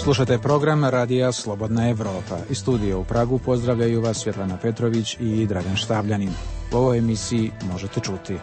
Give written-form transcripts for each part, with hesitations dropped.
Slušate program Radija Slobodna Evropa. Iz studija u Pragu pozdravljaju vas Svjetlana Petrović i Dragan Štavljanin. U ovoj emisiji možete čuti: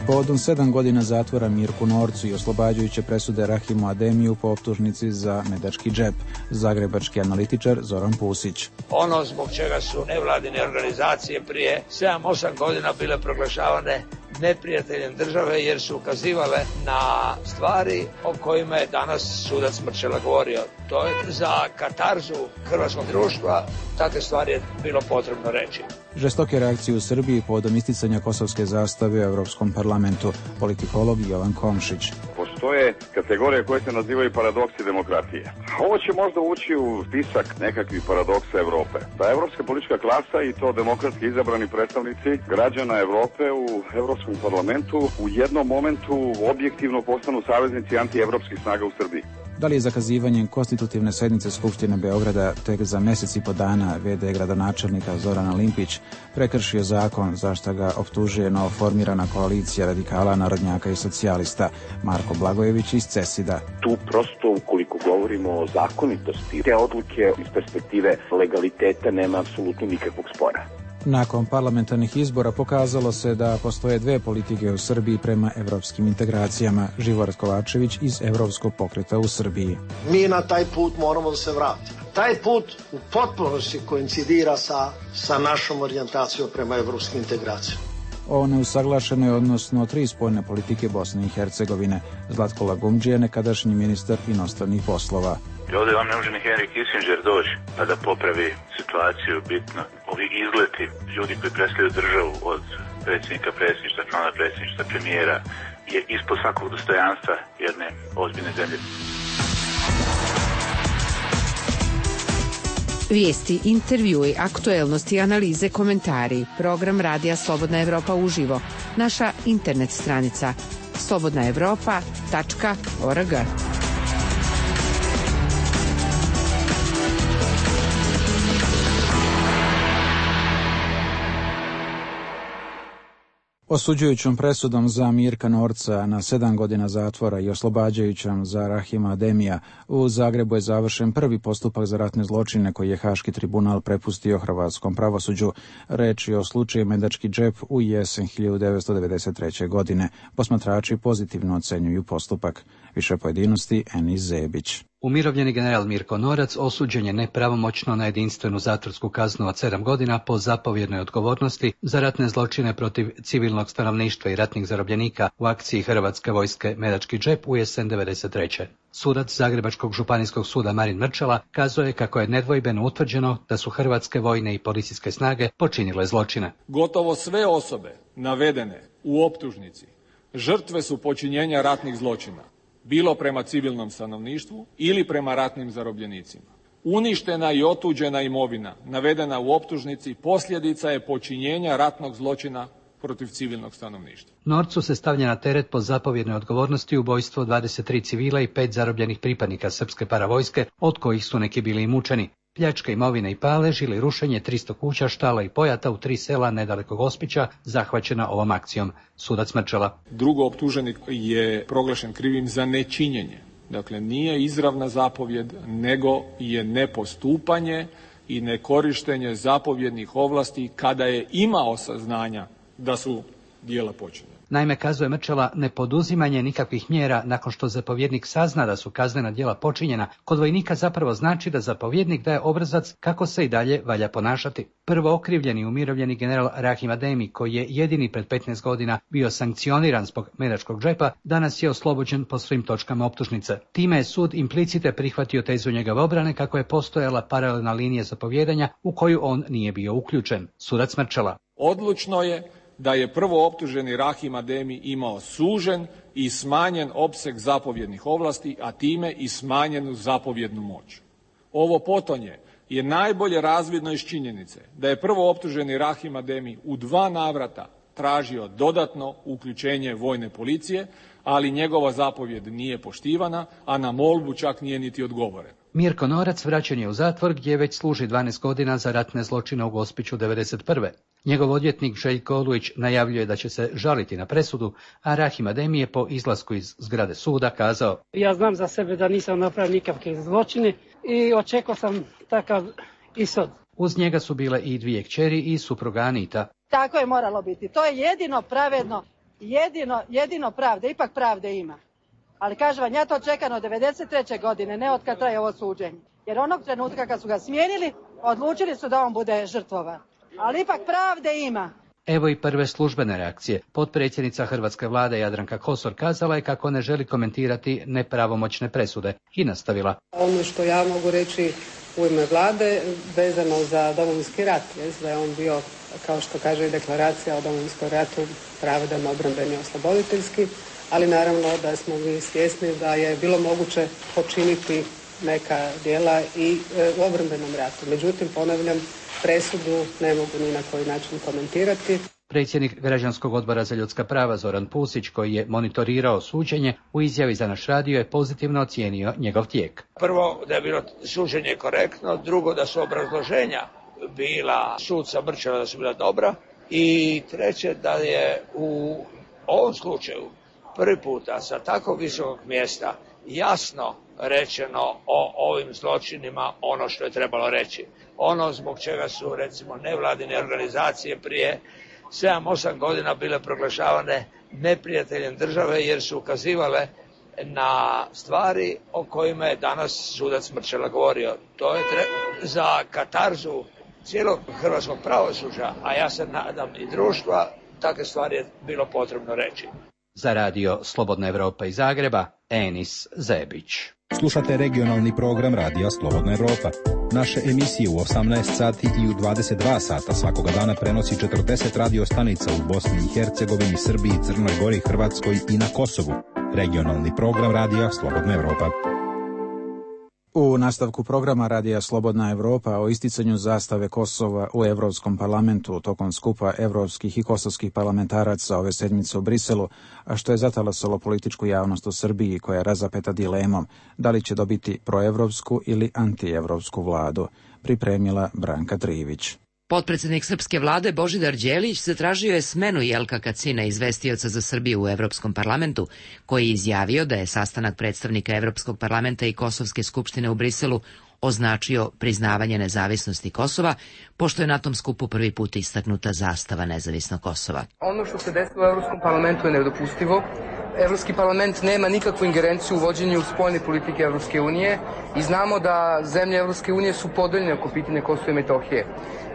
povodom 7 godina zatvora Mirku Norcu i oslobađajuće presude Rahimu Ademiju po optužnici za medački džep, zagrebački analitičar Zoran Pusić. Ono zbog čega su nevladine organizacije prije 7-8 godina bile proglašavane neprijateljem države jer su ukazivale na stvari o kojima je danas sudac Mrčela govorio. To je za katarzu hrvatskog društva, takve stvari je bilo potrebno reći. Žestoke reakcije u Srbiji povodom isticanja kosovske zastave u Europskom parlamentu. Politikolog Jovan Komšić. Postoje kategorije koje se nazivaju paradoksi demokratije. Ovo će možda ući u spisak nekakvih paradoksa Evrope. Da evropska politička klasa i to demokratski izabrani predstavnici građana Evrope u Evropskom parlamentu u jednom momentu objektivno postanu saveznici antievropskih snaga u Srbiji. Da li je zakazivanjem konstitutivne sednice Skupštine Beograda tek za mjesec i po dana v.d. gradonačelnika Zorana Limpić prekršio zakon za što ga optužuje novoformirana koalicija radikala, narodnjaka i socijalista Marko Blagojević iz CESID-a? Tu prosto, ukoliko govorimo o zakonitosti, te odluke iz perspektive legaliteta nema apsolutno nikakvog spora. Nakon parlamentarnih izbora pokazalo se da postoje dve politike u Srbiji prema evropskim integracijama. Živor Kovačević iz Evropskog pokreta u Srbiji. Mi na taj put moramo da se vratimo. Taj put u potpunosti koincidira sa našom orijentacijom prema evropskim integracijama. O neusaglašenoj, odnosno 3 spoljne politike Bosne i Hercegovine. Zlatko Lagumdžija, nekadašnji ministar inostranih poslova. Ovdje vam ne može ni Henry Kissinger doći pa da popravi situaciju bitno. Ovi izleti ljudi koji predstavljaju državu od predsjednika predsjedništva, člana predsjedništva, premijera je ispod svakog dostojanstva jedne ozbiljne zemlje. Vijesti, intervjui, aktuelnosti, analize, komentari. Program Radija Slobodna Evropa uživo. Naša internet stranica slobodnaevropa.org. Osuđujućom presudom za Mirka Norca na 7 godina zatvora i oslobađajućom za Rahima Ademija, u Zagrebu je završen prvi postupak za ratne zločine koji je Haški tribunal prepustio hrvatskom pravosuđu. Reč je o slučaju medački džep u jesen 1993. godine. Posmatrači pozitivno ocenjuju postupak. Više pojedinosti Enis Zebić. Umirovljeni general Mirko Norac osuđen je nepravomoćno na jedinstvenu zatvorsku kaznu od 7 godina po zapovjednoj odgovornosti za ratne zločine protiv civilnog stanovništva i ratnih zarobljenika u akciji Hrvatske vojske Medački džep u jesen 1993. Sudac Zagrebačkog županijskog suda Marin Mrčela kazao je kako je nedvojbeno utvrđeno da su hrvatske vojne i policijske snage počinile zločine. Gotovo sve osobe navedene u optužnici žrtve su počinjenja ratnih zločina, bilo prema civilnom stanovništvu ili prema ratnim zarobljenicima. Uništena i otuđena imovina navedena u optužnici posljedica je počinjenja ratnog zločina protiv civilnog stanovništva. Norcu se stavlja na teret po zapovjednoj odgovornosti ubojstvo 23 civila i 5 zarobljenih pripadnika srpske paravojske, od kojih su neki bili i mučeni. Pljačka imovine i palež ili rušenje 300 kuća, štala i pojata u 3 sela nedaleko Gospića zahvaćena ovom akcijom. Sudac Mrčela. Drugo optuženik je proglašen krivim za nečinjenje. Dakle, nije izravna zapovjed, nego je nepostupanje i nekorištenje zapovjednih ovlasti kada je imao saznanja da su djela počinjena. Naime, kazuje Mrčela, nepoduzimanje nikakvih mjera nakon što zapovjednik sazna da su kaznena djela počinjena, kod vojnika zapravo znači da zapovjednik daje obrazac kako se i dalje valja ponašati. Prvo okrivljeni umirovljeni general Rahim Ademi, koji je jedini pred 15 godina bio sankcioniran zbog medačkog džepa, danas je oslobođen po svim točkama optužnice. Time je sud implicite prihvatio tezu njegove obrane kako je postojala paralelna linija zapovjedanja u koju on nije bio uključen. Sudac Mrčela. Odlučno je da je prvo optuženi Rahim Ademi imao sužen i smanjen opseg zapovjednih ovlasti, a time i smanjenu zapovjednu moć. Ovo potonje je najbolje razvidno iz činjenice da je prvo optuženi Rahim Ademi u 2 navrata tražio dodatno uključenje vojne policije, ali njegova zapovjed nije poštivana, a na molbu čak nije niti odgovorena. Mirko Norac vraćen je u zatvor gdje već služi 12 godina za ratne zločine u Gospiću 1991. Njegov odvjetnik Željko Olujić najavljuje da će se žaliti na presudu, a Rahim Ademi je po izlasku iz zgrade suda kazao: Ja znam za sebe da nisam napravio nikakve zločine i očekao sam takav ishod. Uz njega su bile i 2 kćeri i supruga Anita. Tako je moralo biti. To je jedino pravedno, jedino pravde, ipak pravde ima. Ali kažem vam, ja to čekam od 1993. godine, ne od kad traje ovo suđenje. Jer onog trenutka kad su ga smijenili, odlučili su da on bude žrtvovan. Ali ipak pravde ima. Evo i prve službene reakcije. Potpredsjednica hrvatske vlade Jadranka Kosor kazala je kako ne želi komentirati nepravomoćne presude i nastavila: Ono što ja mogu reći u ime vlade vezano za Domovinski rat, da je on bio, kao što kaže i deklaracija o Domovinskom ratu, pravedan, obrambeni, osloboditeljski, ali naravno da smo mi svjesni da je bilo moguće počiniti neka djela i u obrambenom ratu. Međutim, ponavljam, presudu ne mogu ni na koji način komentirati. Predsjednik Građanskog odbora za ljudska prava Zoran Pusić, koji je monitorirao suđenje, u izjavi za naš radio je pozitivno ocijenio njegov tijek. Prvo, da je bilo suđenje korektno, drugo, da su obrazloženja bila suca Mrčeva da su bila dobra i treće, da je u ovom slučaju prvi puta sa tako visokog mjesta jasno rečeno o ovim zločinima ono što je trebalo reći. Ono zbog čega su recimo nevladine organizacije prije 7-8 godina bile proglašavane neprijateljem države jer su ukazivale na stvari o kojima je danas sudac Mrčela govorio. To je za katarzu cijelog hrvatskog pravosuđa, a ja se nadam i društva, takve stvari je bilo potrebno reći. Za radio Slobodna Evropa iz Zagreba, Enis Zebić. Slušate regionalni program Radija Slobodna Evropa. Naše emisije u 18 sati i u 22 sata svakoga dana prenosi 40 radio stanica u Bosni i Hercegovini, Srbiji, Crnoj Gori, Hrvatskoj i na Kosovu. Regionalni program Radija Slobodna Evropa. U nastavku programa Radija Slobodna Evropa o isticanju zastave Kosova u Evropskom parlamentu tokom skupa evropskih i kosovskih parlamentaraca ove sedmice u Briselu, a što je zatalasalo političku javnost u Srbiji koja je razapeta dilemom da li će dobiti proevropsku ili antievropsku vladu, pripremila Branka Trivić. Potpredsjednik srpske vlade Božidar Đelić zatražio je smenu Jelka Kacina, izvestioca za Srbiju u Evropskom parlamentu, koji je izjavio da je sastanak predstavnika Evropskog parlamenta i Kosovske skupštine u Briselu označio priznavanje nezavisnosti Kosova, pošto je na tom skupu prvi put istaknuta zastava nezavisnog Kosova. Ono što se desilo u Evropskom parlamentu je nedopustivo. Evropski parlament nema nikakvu ingerenciju u vođenju spoljne politike Evropske unije i znamo da zemlje Evropske unije su podeljene oko pitanja Kosova i Metohije.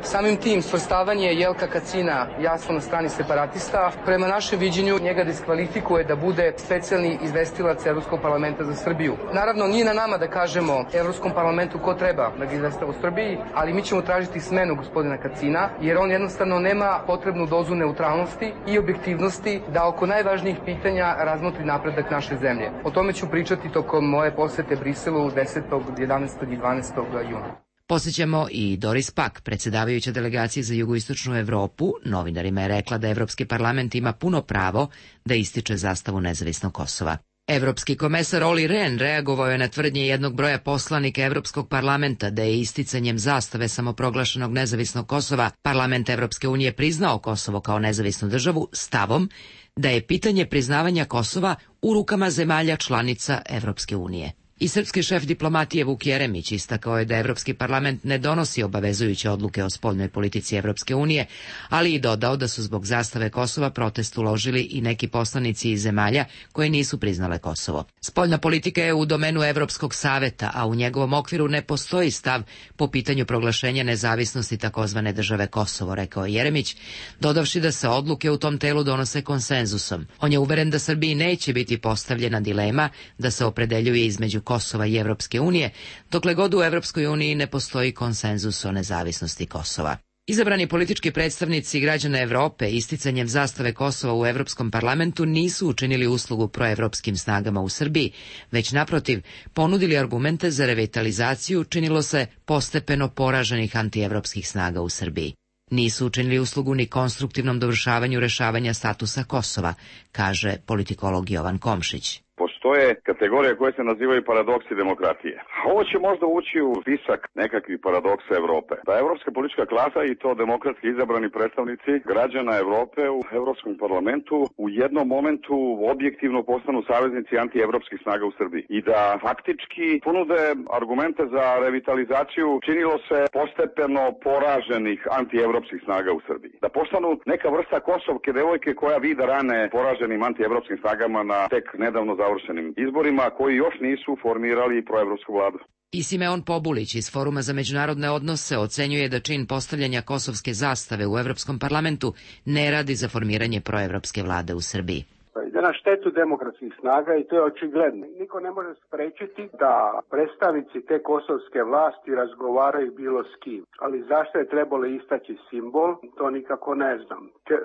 Samim tim svrstavanje Jelka Kacina jasno na strani separatista, prema našem viđenju njega diskvalifikuje da bude specijalni izvestilac Evropskog parlamenta za Srbiju. Naravno, nije na nama da kažemo Evropskom parlamentu ko treba da ga izvestava u Srbiji, ali mi ćemo tražiti smenu gospodina Kacina, jer on jednostavno nema potrebnu dozu neutralnosti i objektivnosti da oko najvažnijih pitanja razmotri napredak naše zemlje. O tome ću pričati tokom moje posete Briselu 10., 11. i 12. juna. Posjećamo i Doris Pack, predsjedavajuća delegacije za jugoistočnu Evropu, novinarima je rekla da Evropski parlament ima puno pravo da ističe zastavu nezavisnog Kosova. Evropski komesar Olli Rehn reagovao je na tvrdnje jednog broja poslanika Evropskog parlamenta da je isticanjem zastave samoproglašenog nezavisnog Kosova parlament Evropske unije priznao Kosovo kao nezavisnu državu stavom da je pitanje priznavanja Kosova u rukama zemalja članica Evropske unije. I srpski šef diplomatije Vuk Jeremić istakao je da Evropski parlament ne donosi obavezujuće odluke o spoljnoj politici Evropske unije, ali i dodao da su zbog zastave Kosova protest uložili i neki poslanici iz zemalja koje nisu priznale Kosovo. Spoljna politika je u domenu Evropskog saveta, a u njegovom okviru ne postoji stav po pitanju proglašenja nezavisnosti takozvane države Kosovo, rekao je Jeremić, dodavši da se odluke u tom telu donose konsenzusom. On je uveren da Srbiji neće biti postavljena dilema da se opredeljuje između Kosova i Evropske unije, dokle god u Evropskoj uniji ne postoji konsenzus o nezavisnosti Kosova. Izabrani politički predstavnici građana Evrope isticanjem zastave Kosova u Evropskom parlamentu nisu učinili uslugu proevropskim snagama u Srbiji, već naprotiv ponudili argumente za revitalizaciju, činilo se postepeno poraženih antievropskih snaga u Srbiji. Nisu učinili uslugu ni konstruktivnom dovršavanju rešavanja statusa Kosova, kaže politikolog Jovan Komšić. Pošto postoje kategorije koje se nazivaju paradoksi demokratije. Ovo će možda ući u spisak nekakvih paradoksa Evrope. Da evropska politička klasa i to demokratski izabrani predstavnici građana Evrope u Evropskom parlamentu u jednom momentu objektivno postanu saveznici antievropskih snaga u Srbiji i da faktički ponude argumente za revitalizaciju činilo se postepeno poraženih antievropskih snaga u Srbiji. Da postanu neka vrsta kosovke devojke koja vida rane poraženim antievropskim snagama na tek nedavno završenim izborima koji još nisu formirali proevropsku vladu. I Simeon Pobulić iz Foruma za međunarodne odnose ocenjuje da čin postavljanja kosovske zastave u Evropskom parlamentu ne radi za formiranje proevropske vlade u Srbiji. Ide na štetu demokratskih snaga i to je očigledno. Niko ne može sprečiti da predstavnici te kosovske vlasti razgovaraju bilo s kim. Ali zašto je trebalo istaći simbol, to nikako ne znam.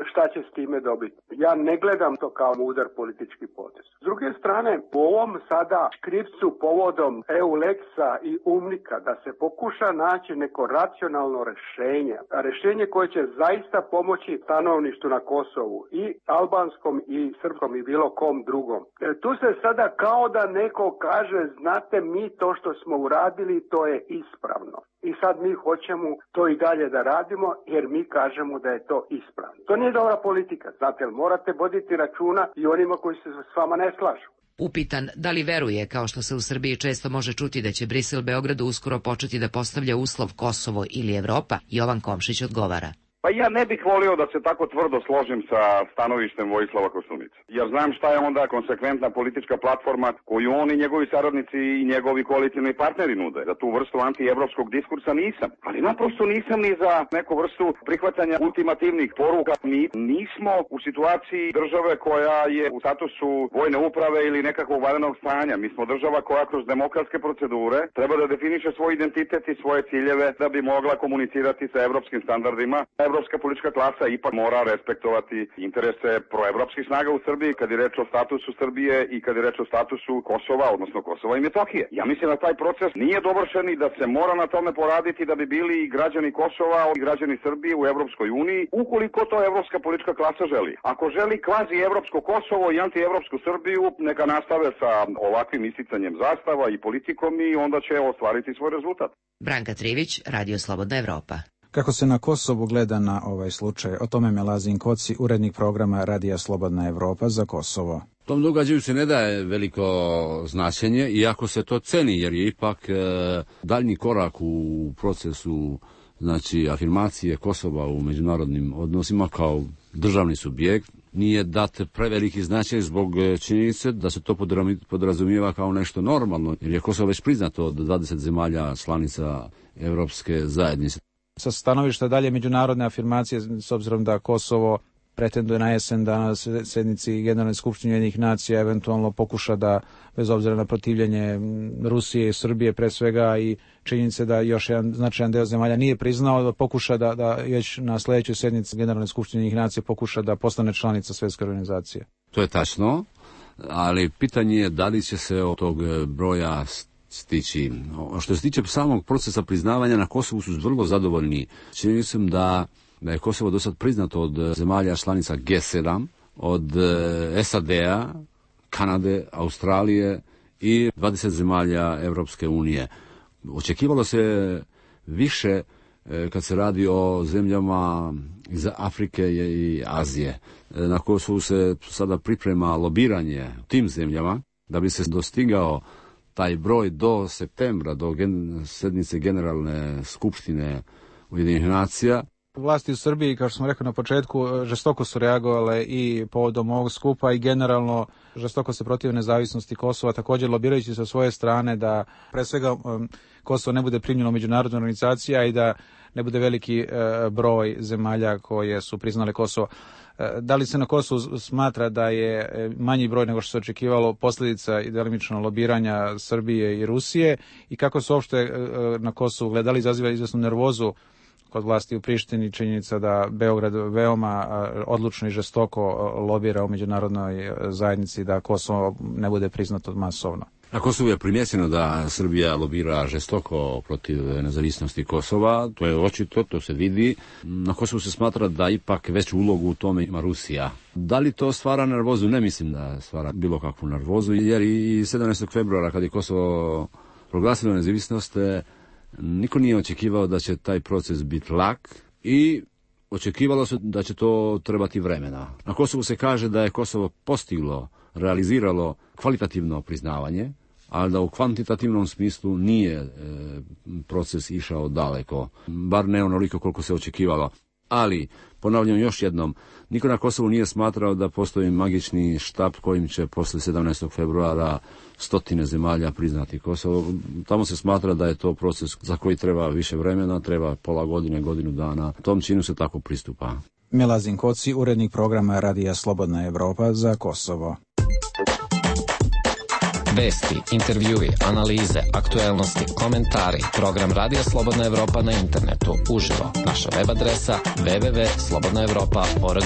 Šta će s time dobiti? Ja ne gledam to kao mudar politički potez. S druge strane, u ovom sada škripcu povodom EU-Lexa i UMNIKA da se pokuša naći neko racionalno rešenje, rešenje koje će zaista pomoći stanovništvu na Kosovu i albanskom i srpskom i bilo kom drugom. Tu se sada kao da neko kaže, znate, mi to što smo uradili, to je ispravno. I sad mi hoćemo to i dalje da radimo jer mi kažemo da je to ispravno. To nije dobra politika, znate, morate voditi računa i onima koji se s vama ne slažu. Upitan da li veruje, kao što se u Srbiji često može čuti, da će Brisel Beogradu uskoro početi da postavlja uslov Kosovo ili Evropa, Jovan Komšić odgovara. Pa ja ne bih volio da se tako tvrdo složim sa stanovištem Vojislava Koštunice. Jer znam šta je onda konsekventna politička platforma koju on i njegovi saradnici i njegovi koalicijni partneri nude. Za tu vrstu antievropskog diskursa nisam. Ali naprosto nisam ni za neku vrstu prihvatanja ultimativnih poruka. Mi nismo u situaciji države koja je u statusu vojne uprave ili nekakvog vanrednog stanja. Mi smo država koja kroz demokratske procedure treba da definiše svoj identitet i svoje ciljeve da bi mogla komunicirati sa evropskim standardima. Evropska politička klasa ipak mora respektovati interese proevropskih snaga u Srbiji kad je reč o statusu Srbije i kad je reč o statusu Kosova, odnosno Kosova i Metohije. Ja mislim da taj proces nije dovršen i da se mora na tome poraditi da bi bili i građani Kosova i građani Srbije u Evropskoj uniji, ukoliko to evropska politička klasa želi. Ako želi kvazi evropsko Kosovo i antievropsku Srbiju, neka nastave sa ovakvim isticanjem zastava i politikom i onda će ostvariti svoj rezultat. Branka Trivić, Radio Slobodna Evropa. Kako se na Kosovu gleda na ovaj slučaj, o tome Melazin Koci, urednik programa Radija Slobodna Evropa za Kosovo. Tom događaju se ne daje veliko značenje, iako se to ceni, jer je ipak daljnji korak u procesu, znači, afirmacije Kosova u međunarodnim odnosima kao državni subjekt. Nije dat preveliki značaj zbog činjenice da se to podrazumijeva kao nešto normalno, jer je Kosovo već priznato od 20 zemalja članica Evropske zajednice. Sa stanovišta dalje međunarodne afirmacije, s obzirom da Kosovo pretenduje na jesen da na sednici Generalne skupštine Ujedinjenih nacija eventualno pokuša da, bez obzira na protivljenje Rusije i Srbije pre svega i činjenice da još jedan značajan deo zemalja nije priznao, da pokuša da već na sledećoj sednici Generalne skupštine Ujedinjenih nacija pokuša da postane članica Svjetske organizacije. To je tačno, ali pitanje je da li će se od tog broja stići. Što se tiče samog procesa priznavanja, na Kosovu su vrlo zadovoljni. Činjenicom da je Kosovo do sad priznato od zemalja članica G7, od SAD-a, Kanade, Australije i 20 zemalja Evropske unije. Očekivalo se više kad se radi o zemljama iz Afrike i Azije. Na Kosovu se sada priprema lobiranje tim zemljama da bi se dostigao taj broj do septembra, do sednice Generalne skupštine Ujedinjenih nacija. Vlasti u Srbiji, kao što smo rekli na početku, žestoko su reagovale i povodom ovog skupa i generalno žestoko se protive nezavisnosti Kosova, također lobirajući sa svoje strane da pre svega Kosovo ne bude primljeno u međunarodnu organizaciju i da ne bude veliki broj zemalja koje su priznale Kosovo. Da li se na Kosovu smatra da je manji broj nego što se očekivalo posljedica i delimično lobiranja Srbije i Rusije i kako se uopšte na Kosovu gledali, izaziva izvesnu nervozu kod vlasti u Prištini, činjenica da Beograd veoma odlučno i žestoko lobira u međunarodnoj zajednici da Kosovo ne bude priznato masovno? Na Kosovu je primjećeno da Srbija lobira žestoko protiv nezavisnosti Kosova, to je očito, to se vidi. Na Kosovu se smatra da ipak veću ulogu u tome ima Rusija. Da li to stvara nervozu? Ne mislim da stvara bilo kakvu nervozu, jer i 17. februara kad je Kosovo proglasilo nezavisnost, niko nije očekivao da će taj proces biti lak i očekivalo se da će to trebati vremena. Na Kosovu se kaže da je Kosovo postiglo, realiziralo kvalitativno priznavanje, ali da u kvantitativnom smislu nije proces išao daleko, bar ne onoliko koliko se očekivalo. Ali, ponavljam još jednom, niko na Kosovu nije smatrao da postoji magični štap kojim će posle 17. februara 100 zemalja priznati Kosovo. Tamo se smatra da je to proces za koji treba više vremena, treba pola godine, godinu dana. Tom činu se tako pristupa. Milazin Koci, urednik programa Radija Slobodna Evropa za Kosovo. Vesti, intervjui, analize, aktuelnosti, komentari. Program Radija Slobodna Evropa na internetu, uživo. Naša web adresa www.slobodnaevropa.org.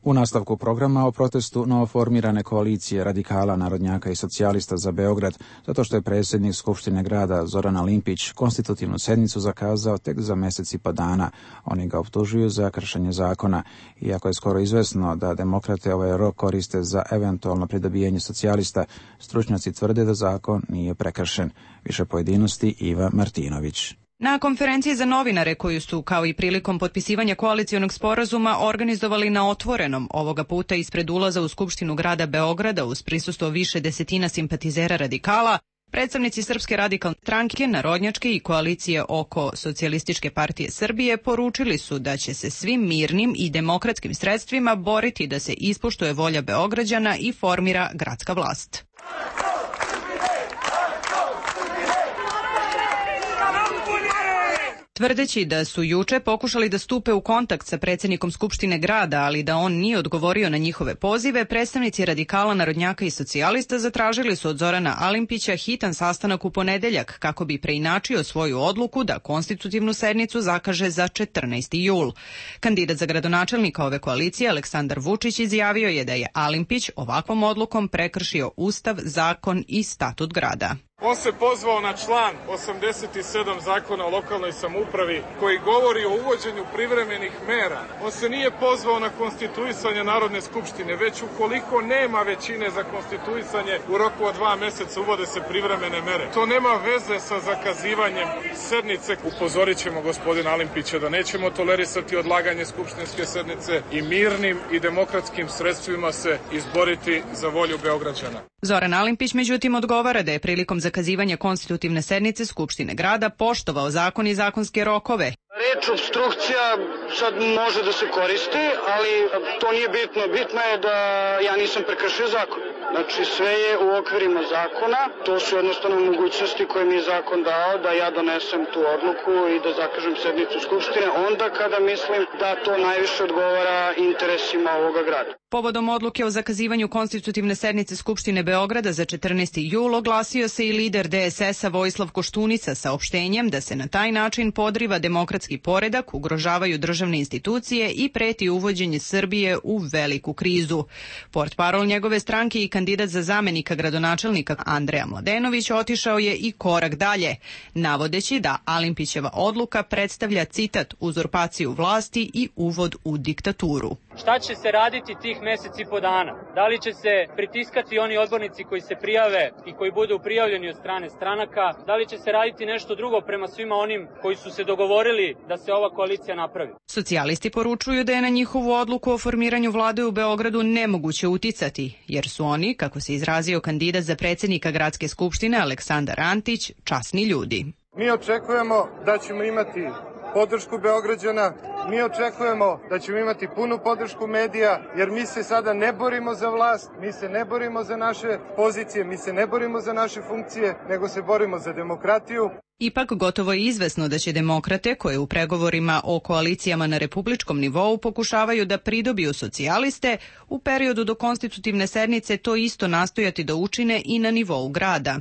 U nastavku programa o protestu novoformirane koalicije radikala, narodnjaka i socijalista za Beograd, zato što je predsjednik Skupštine grada Zoran Alimpić konstitutivnu sednicu zakazao tek za mjesec i po dana. Oni ga optužuju za kršenje zakona. Iako je skoro izvesno da demokrate ovaj rok koriste za eventualno pridobijanje socijalista, stručnjaci tvrde da zakon nije prekršen. Više pojedinosti Iva Martinović. Na konferenciji za novinare koju su, kao i prilikom potpisivanja koalicionog sporazuma, organizovali na otvorenom, ovoga puta ispred ulaza u Skupštinu grada Beograda uz prisustvo više desetina simpatizera radikala, predstavnici Srpske radikalne stranke, narodnjačke i koalicije oko Socijalističke partije Srbije poručili su da će se svim mirnim i demokratskim sredstvima boriti da se ispoštuje volja Beograđana i formira gradska vlast. Tvrdeći da su juče pokušali da stupe u kontakt sa predsjednikom Skupštine grada, ali da on nije odgovorio na njihove pozive, predstavnici radikala, narodnjaka i socijalista zatražili su od Zorana Alimpića hitan sastanak u ponedeljak kako bi preinačio svoju odluku da konstitutivnu sednicu zakaže za 14. jul. Kandidat za gradonačelnika ove koalicije, Aleksandar Vučić, izjavio je da je Alimpić ovakvom odlukom prekršio Ustav, zakon i statut grada. On se pozvao na član 87 zakona o lokalnoj samoupravi koji govori o uvođenju privremenih mera. On se nije pozvao na konstituisanje Narodne skupštine, već ukoliko nema većine za konstituisanje u roku od 2 mjeseca uvode se privremene mere. To nema veze sa zakazivanjem sednice. Upozorit ćemo gospodina Alimpića da nećemo tolerisati odlaganje skupštinske sednice i mirnim i demokratskim sredstvima se izboriti za volju Beograđana. Zoran Alimpić međutim odgovara da je prilikom zakazivanja konstitutivne sednice Skupštine grada poštovao zakon i zakonske rokove. Reč obstrukcija sad može da se koristi, ali to nije bitno. Bitno je da ja nisam prekršio zakon. Znači sve je u okvirima zakona, to su jednostavno mogućnosti koje mi je zakon dao da ja donesem tu odluku i da zakažem sednicu Skupštine onda kada mislim da to najviše odgovara interesima ovoga grada. Povodom odluke o zakazivanju konstitutivne sednice Skupštine Beograda za 14. jul oglasio se i lider DSS-a Vojislav Koštunica saopštenjem da se na taj način podriva demokratski poredak, ugrožavaju državne institucije i preti uvođenje Srbije u veliku krizu. Portparol njegove stranke i kandidat za zamenika gradonačelnika Andreja Mladenović otišao je i korak dalje, navodeći da Alimpićeva odluka predstavlja, citat, uzurpaciju vlasti i uvod u diktaturu. Šta će se raditi tih mjeseci i po dana? Da li će se pritiskati oni odbornici koji se prijave i koji budu prijavljeni od strane stranaka? Da li će se raditi nešto drugo prema svima onim koji su se dogovorili da se ova koalicija napravi? Socijalisti poručuju da je na njihovu odluku o formiranju vlade u Beogradu nemoguće uticati, jer su oni, kako se izrazio kandidat za predsjednika gradske skupštine Aleksandar Antić, časni ljudi. Mi očekujemo da ćemo imati podršku Beograđana, mi očekujemo da ćemo imati punu podršku medija, jer mi se sada ne borimo za vlast, mi se ne borimo za naše pozicije, mi se ne borimo za naše funkcije, nego se borimo za demokratiju. Ipak gotovo je izvesno da će demokrate, koje u pregovorima o koalicijama na republičkom nivou pokušavaju da pridobiju socijaliste, u periodu do konstitutivne sednice to isto nastojati da učine i na nivou grada.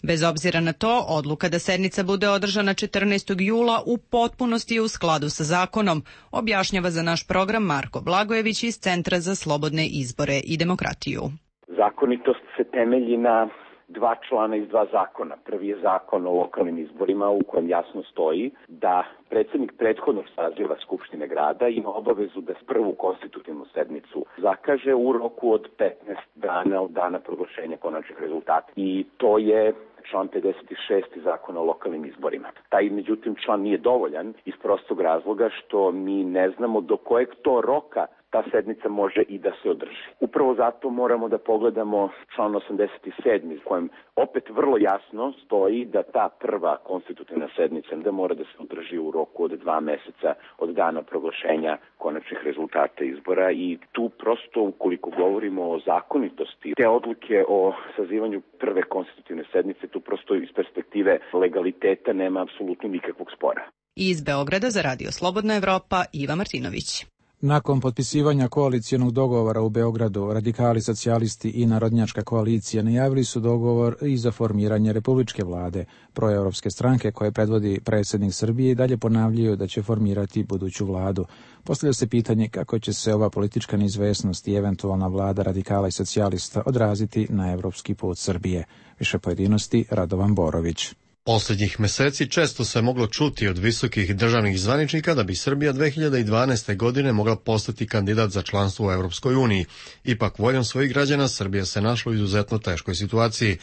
Bez obzira na to, odluka da sednica bude održana 14. jula u potpunosti je u skladu sa zakonom, objašnjava za naš program Marko Blagojević iz Centra za slobodne izbore i demokratiju. Zakonitost se temelji na dva člana iz dva zakona. Prvi je zakon o lokalnim izborima u kojem jasno stoji da predsjednik prethodnog saziva Skupštine grada ima obavezu da prvu konstitutivnu sednicu zakaže u roku od 15 dana od dana proglašenja konačnih rezultata. I to je član 56. zakona o lokalnim izborima. Taj, međutim, član nije dovoljan iz prostog razloga što mi ne znamo do kojeg to roka ta sednica može i da se održi. Upravo zato moramo da pogledamo član 87. u kojem opet vrlo jasno stoji da ta prva konstitutivna sednica da mora da se održi u roku od 2 meseca od dana proglašenja konačnih rezultata izbora i tu prosto ukoliko govorimo o zakonitosti te odluke o sazivanju prve konstitutivne sednice, tu prosto iz perspektive legaliteta nema apsolutno nikakvog spora. Iz Beograda za Radio Slobodna Evropa Iva Martinović. Nakon potpisivanja koalicijonog dogovora u Beogradu, radikali, socijalisti i narodnjačka koalicija najavili su dogovor i za formiranje republičke vlade. Proevropske stranke koje predvodi predsjednik Srbije i dalje ponavljaju da će formirati buduću vladu. Postavlja se pitanje kako će se ova politička neizvesnost i eventualna vlada radikala i socijalista odraziti na evropski put Srbije. Više pojedinosti Radovan Borović. Posljednjih meseci često se moglo čuti od visokih državnih zvaničnika da bi Srbija 2012. godine mogla postati kandidat za članstvo u Europskoj uniji. Ipak, voljom svojih građana Srbija se našla u izuzetno teškoj situaciji.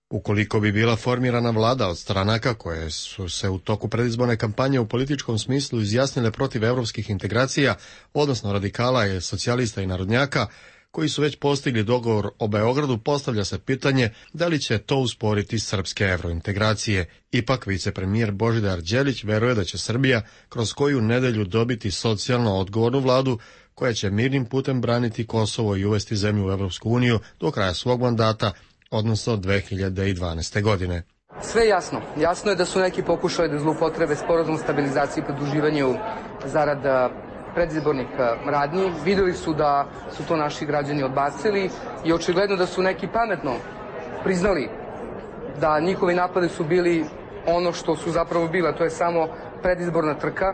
Ukoliko bi bila formirana vlada od stranaka koje su se u toku predizborne kampanje u političkom smislu izjasnile protiv evropskih integracija, odnosno radikala, socijalista i narodnjaka, koji su već postigli dogovor o Beogradu, postavlja se pitanje da li će to usporiti srpske evrointegracije. Ipak, vicepremijer Božidar Đelić veruje da će Srbija kroz koju nedelju dobiti socijalno odgovornu vladu koja će mirnim putem braniti Kosovo i uvesti zemlju u Evropsku uniju do kraja svog mandata, odnosno 2012. godine. Sve je jasno. Jasno je da su neki pokušali da zloupotrebe sporazum o stabilizaciji i pridruživanju zarad predizbornih radnji. Videli su da su to naši građani odbacili i očigledno da su neki pametno priznali da njihovi napadi su bili ono što su zapravo bile, to je samo predizborna trka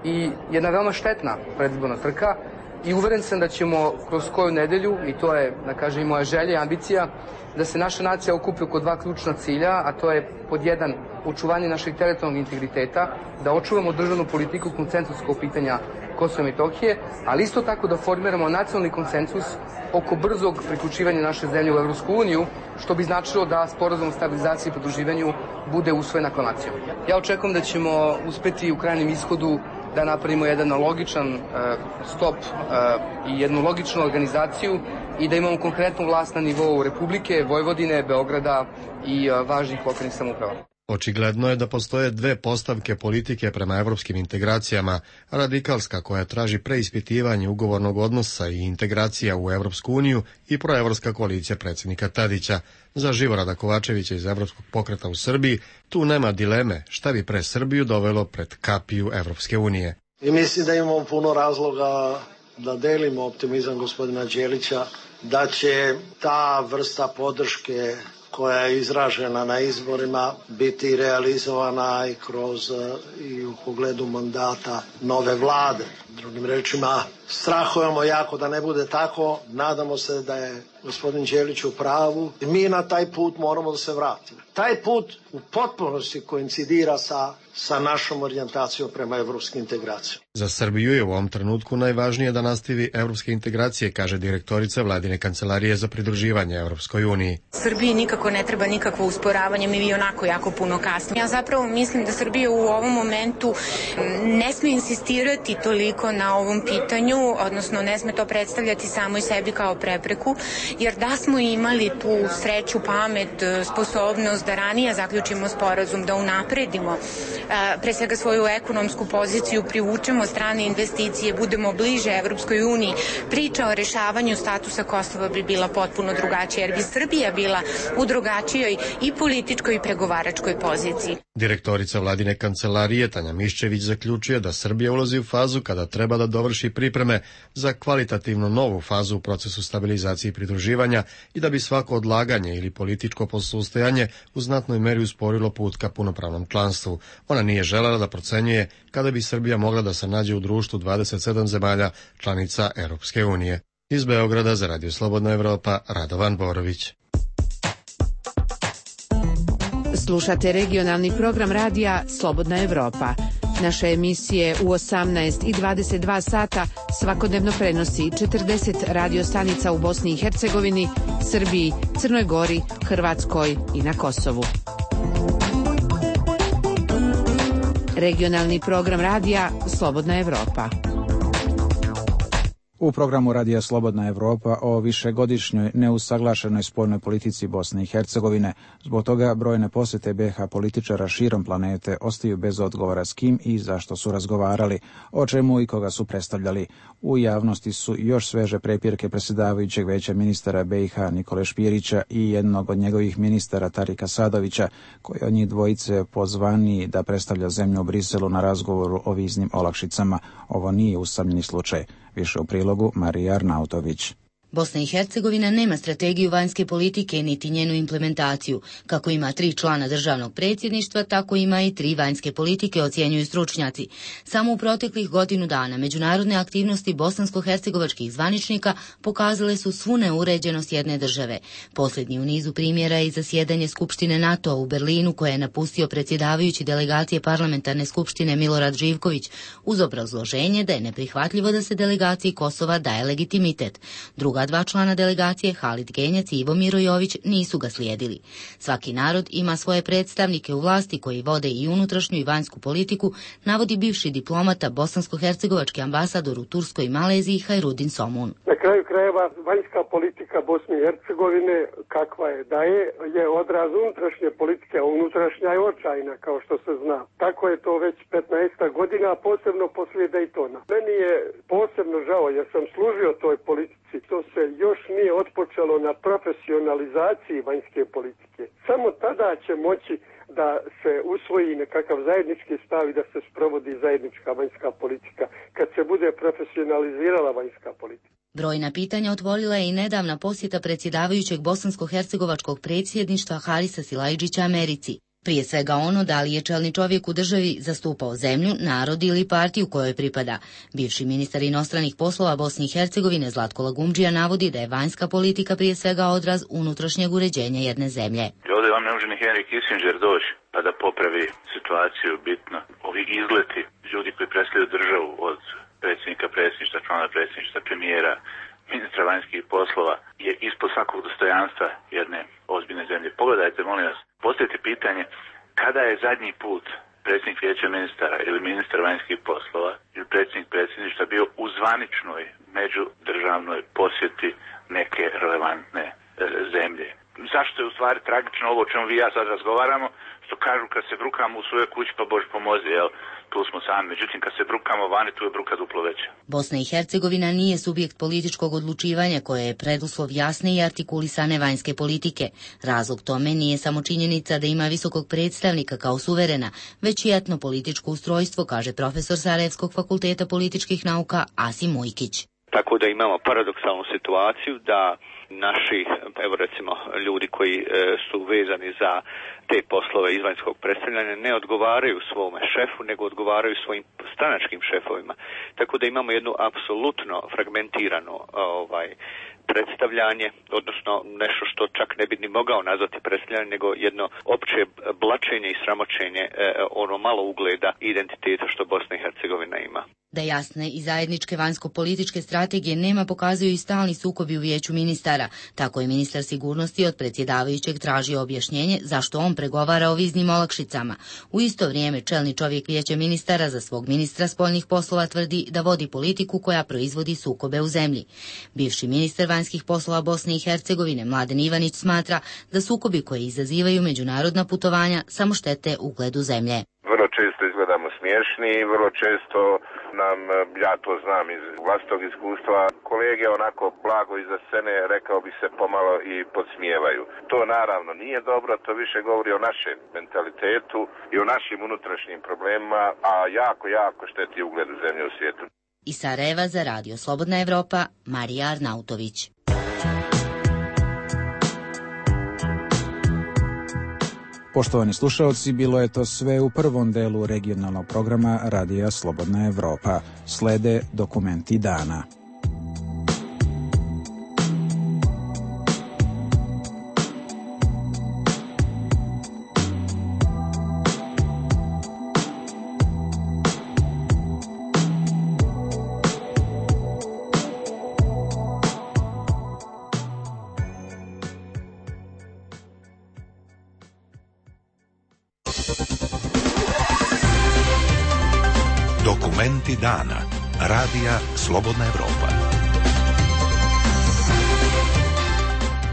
i jedna veoma štetna predizborna trka i uveren sam da ćemo kroz koju nedelju, i to je, da kažem, i moja želja i ambicija, da se naša nacija okupi oko dva ključna cilja, a to je pod jedan očuvanje našeg teritorijalnog integriteta, da očuvamo državnu politiku konsensuskog pitanja Kosova i Metohije, ali isto tako da formiramo nacionalni konsensus oko brzog priključivanja naše zemlje u Evropsku uniju, što bi značilo da sporazum o stabilizaciji i pridruživanju bude usvojen aklamacijom. Ja očekujem da ćemo uspeti u krajnjem ishodu da napravimo jedan logičan stop i jednu logičnu organizaciju i da imamo konkretnu vlast na nivou Republike, Vojvodine, Beograda i važnih lokalnih samouprava. Očigledno je da postoje dve postavke politike prema evropskim integracijama, radikalska koja traži preispitivanje ugovornog odnosa i integracija u Evropsku uniju i proevropska koalicija predsjednika Tadića. Za Živorada Kovačevića iz Evropskog pokreta u Srbiji tu nema dileme šta bi pre Srbiju dovelo pred kapiju Evropske unije. I mislim da imamo puno razloga da delimo optimizam gospodina Đelića, da će ta vrsta podrške koja je izražena na izborima biti realizovana i kroz i u pogledu mandata nove vlade. Drugim rečima, strahujemo jako da ne bude tako, nadamo se da je gospodin Đelić u pravu i mi na taj put moramo da se vratimo. Taj put u potpunosti koincidira sa našom orijentacijom prema evropskim integracijama. Za Srbiju je u ovom trenutku najvažnije da nastavi evropske integracije, kaže direktorica Vladine kancelarije za pridruživanje Evropskoj uniji. Srbiji nikako ne treba nikakvo usporavanje, mi onako jako puno kasnimo. Ja zapravo mislim da Srbija u ovom momentu ne sme insistirati toliko na ovom pitanju, odnosno ne sme to predstavljati samo i sebi kao prepreku, jer da smo imali tu sreću, pamet, sposobnost da ranije zaključimo sporazum, da unapredimo pre svega svoju ekonomsku poziciju, privučemo strane investicije, budemo bliže Evropskoj uniji, priča o rešavanju statusa Kosova bi bila potpuno drugačija, jer bi Srbija bila u drugačijoj i političkoj i pregovaračkoj poziciji. Direktorica vladine kancelarije Tanja Miščević zaključuje da Srbija ulazi u fazu kada treba da dovrši pripreme za kvalitativno novu fazu u procesu stabilizacije i pridruživanja i da bi svako odlaganje ili političko posustajanje u znatnoj meri usporilo put ka punopravnom članstvu. Ona nije želela da procenjuje kada bi Srbija mogla da se nađe u društvu 27 zemalja članica Europske unije. Iz Beograda za Radio Slobodna Evropa, Radovan Borović. Slušate regionalni program radija Slobodna Evropa. Naše emisije u 18 i 22 sata svakodnevno prenosi 40 radiostanica u Bosni i Hercegovini, Srbiji, Crnoj Gori, Hrvatskoj i na Kosovu. Regionalni program radija Slobodna Evropa. U programu Radija Slobodna Evropa o višegodišnjoj neusaglašenoj spoljnoj politici Bosne i Hercegovine. Zbog toga brojne posete BiH političara širom planete ostaju bez odgovora s kim i zašto su razgovarali, o čemu i koga su predstavljali. U javnosti su još sveže prepirke predsjedavajućeg Veća ministara BiH Nikole Špirića i jednog od njegovih ministara Tarika Sadovića, koji od njih dvojice pozvani da predstavlja zemlju u Briselu na razgovoru o viznim olakšicama. Ovo nije usamljeni slučaj. Više u prilogu Marija Arnautović. Bosna i Hercegovina nema strategiju vanjske politike niti njenu implementaciju. Kako ima 3 člana državnog predsjedništva, tako ima i 3 vanjske politike, ocjenjuju stručnjaci. Samo u proteklih godinu dana međunarodne aktivnosti bosansko-hercegovačkih zvaničnika pokazale su svu neuređenost jedne države. Posljednji u nizu primjera je zasjedanje Skupštine NATO-a u Berlinu, koje je napustio predsjedavajući delegacije parlamentarne skupštine Milorad Živković, uz obrazloženje da je neprihvatljivo da se delegaciji Kosova daje legitimitet. Druga 2 člana delegacije, Halid Genjac i Ivo Mirojović, nisu ga slijedili. Svaki narod ima svoje predstavnike u vlasti koji vode i unutrašnju i vanjsku politiku, navodi bivši diplomata bosansko-hercegovački ambasador u Turskoj i Maleziji Hajrudin Somun. Na kraju krajeva, vanjska politika Bosne i Hercegovine, kakva je da je odraz unutrašnje politike, a unutrašnja je očajna, kao što se zna. Tako je to već 15 godina, posebno poslije Daytona. Meni je posebno žao, jer sam služio toj politici. To se još nije otpočelo na profesionalizaciji vanjske politike. Samo tada će moći da se usvoji nekakav zajednički stav i da se sprovodi zajednička vanjska politika, kad se bude profesionalizirala vanjska politika. Brojna pitanja otvorila je i nedavna posjeta predsjedavajućeg bosansko-hercegovačkog predsjedništva Harisa Silajdžića Americi. Prije svega ono da li je čelni čovjek u državi zastupao zemlju, narod ili partiju kojoj pripada. Bivši ministar inostranih poslova Bosne i Hercegovine Zlatko Lagumdžija navodi da je vanjska politika prije svega odraz unutrašnjeg uređenja jedne zemlje. Ovdje vam ne može ni Henry Kissinger doći pa da popravi situaciju bitno. Ovi izleti ljudi koji predstavljaju državu od predsjednika predsjedništva, člana predsjedništva, premijera, ministra vanjskih poslova je ispod svakog dostojanstva jedne ozbiljne zemlje. Pogledajte, molim vas, postavite pitanje kada je zadnji put predsjednik Vijeća ministara ili ministar vanjskih poslova ili predsjednik predsjedništva bio u zvaničnoj međudržavnoj posjeti neke relevantne zemlje. Zašto je u stvari tragično ovo o čemu vi ja sad razgovaramo, što kažu kad se brukamo u svojoj kući pa Bože pomozi, jel? Tu smo sami, međutim kad se brukamo vani, tu je bruka duplo veća. Bosna i Hercegovina nije subjekt političkog odlučivanja koje je preduslov jasne i artikulisane vanjske politike. Razlog tome nije samo činjenica da ima visokog predstavnika kao suverena, već i etnopolitičko ustrojstvo, kaže profesor Sarajevskog fakulteta političkih nauka Asim Mujkić. Tako da imamo paradoksalnu situaciju da naši, evo recimo, ljudi koji su vezani za te poslove izvanjskog predstavljanja ne odgovaraju svome šefu, nego odgovaraju svojim stranačkim šefovima. Tako da imamo jednu apsolutno fragmentirano predstavljanje, odnosno nešto što čak ne bi ni mogao nazvati predstavljanje, nego jedno opće blačenje i sramoćenje ono malo ugleda i identiteta što Bosna i Hercegovina ima. Da jasne i zajedničke vanjsko-političke strategije nema pokazuju i stalni sukobi u Vijeću ministara. Tako je ministar sigurnosti od predsjedavajućeg tražio objašnjenje zašto on pregovara o viznim olakšicama. U isto vrijeme čelni čovjek Vijeća ministara za svog ministra spoljnih poslova tvrdi da vodi politiku koja proizvodi sukobe u zemlji. Bivši ministar vanjskih poslova Bosne i Hercegovine Mladen Ivanić smatra da sukobi koji izazivaju međunarodna putovanja samo štete ugledu zemlje. Vrlo često izgledamo smiješni i vrlo često nam, ja to znam iz vlastitog iskustva, kolege onako blago iza scene, rekao bi se, pomalo i podsmijevaju. To naravno nije dobro, to više govori o našem mentalitetu i o našim unutrašnjim problemima, a jako šteti ugledu zemlje u svijetu. Iz Sarajeva za Radio Slobodna Evropa, Marija Arnautović. Poštovani slušaoci, bilo je to sve u prvom delu regionalnog programa Radija Slobodna Evropa. Slede dokumenti dana. Dokumenti dana. Radija Slobodna Evropa.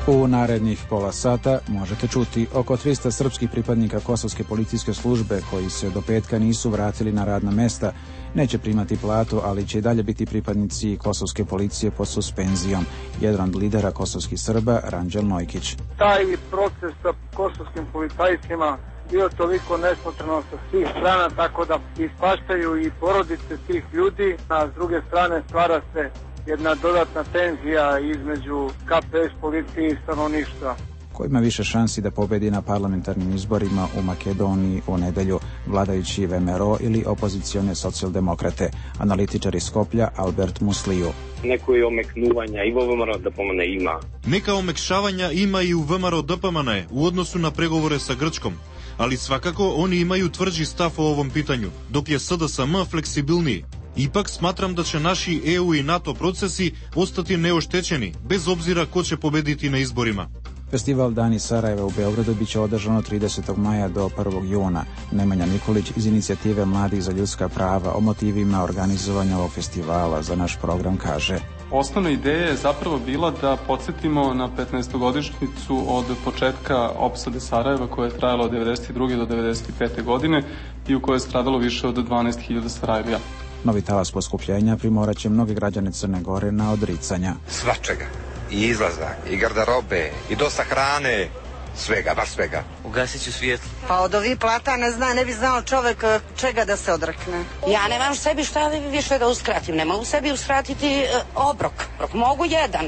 U narednih pola sata možete čuti oko 300 srpskih pripadnika Kosovske policijske službe koji se do petka nisu vratili na radna mesta, neće primati platu, ali će i dalje biti pripadnici Kosovske policije pod suspenzijom. Jedan od lidera kosovskih Srba, Ranđel Nojkić. Taj proces sa kosovskim policajcima bio toliko nesmotreno sa svih strana, tako da ispaštaju i porodice tih ljudi, a s druge strane stvara se jedna dodatna tenzija između KPS policije i stanovništva. Ko ima više šansi da pobedi na parlamentarnim izborima u Makedoniji u nedelju, vladajući VMRO ili opozicione socijaldemokrate, analitičar iz Skoplja Albert Musliju. Neko je omeknuvanja i VMRO DPMNE ima. Neka omekšavanja ima i u VMRO DPMNE u odnosu na pregovore sa Grčkom, ali svakako oni imaju tvrđi stav o ovom pitanju, dok je SDSM fleksibilniji. Ipak smatram da će naši EU i NATO procesi ostati neoštećeni, bez obzira ko će pobediti na izborima. Festival Dani Sarajeva u Beogradu biće održan od 30. maja do 1. juna. Nemanja Nikolić iz inicijative Mladih za ljudska prava o motivima organizovanja ovog festivala za naš program kaže: Osnovna ideja je zapravo bila da podsjetimo na 15-godišnjicu od početka opsade Sarajeva koja je trajala od 1992. do 1995. godine i u kojoj je stradalo više od 12.000 Sarajlija. Novi talas poskupljenja primorat će mnoge građane Crne Gore na odricanja. Svačega. I izlazak, i garderobe, i dosta hrane, svega, baš svega. Ugasit ću svjetlo. Pa od ovih plata ne bi znao čovek čega da se odrekne. Ja nemam sebi šta više da uskratim, ne mogu sebi uskratiti obrok, mogu jedan.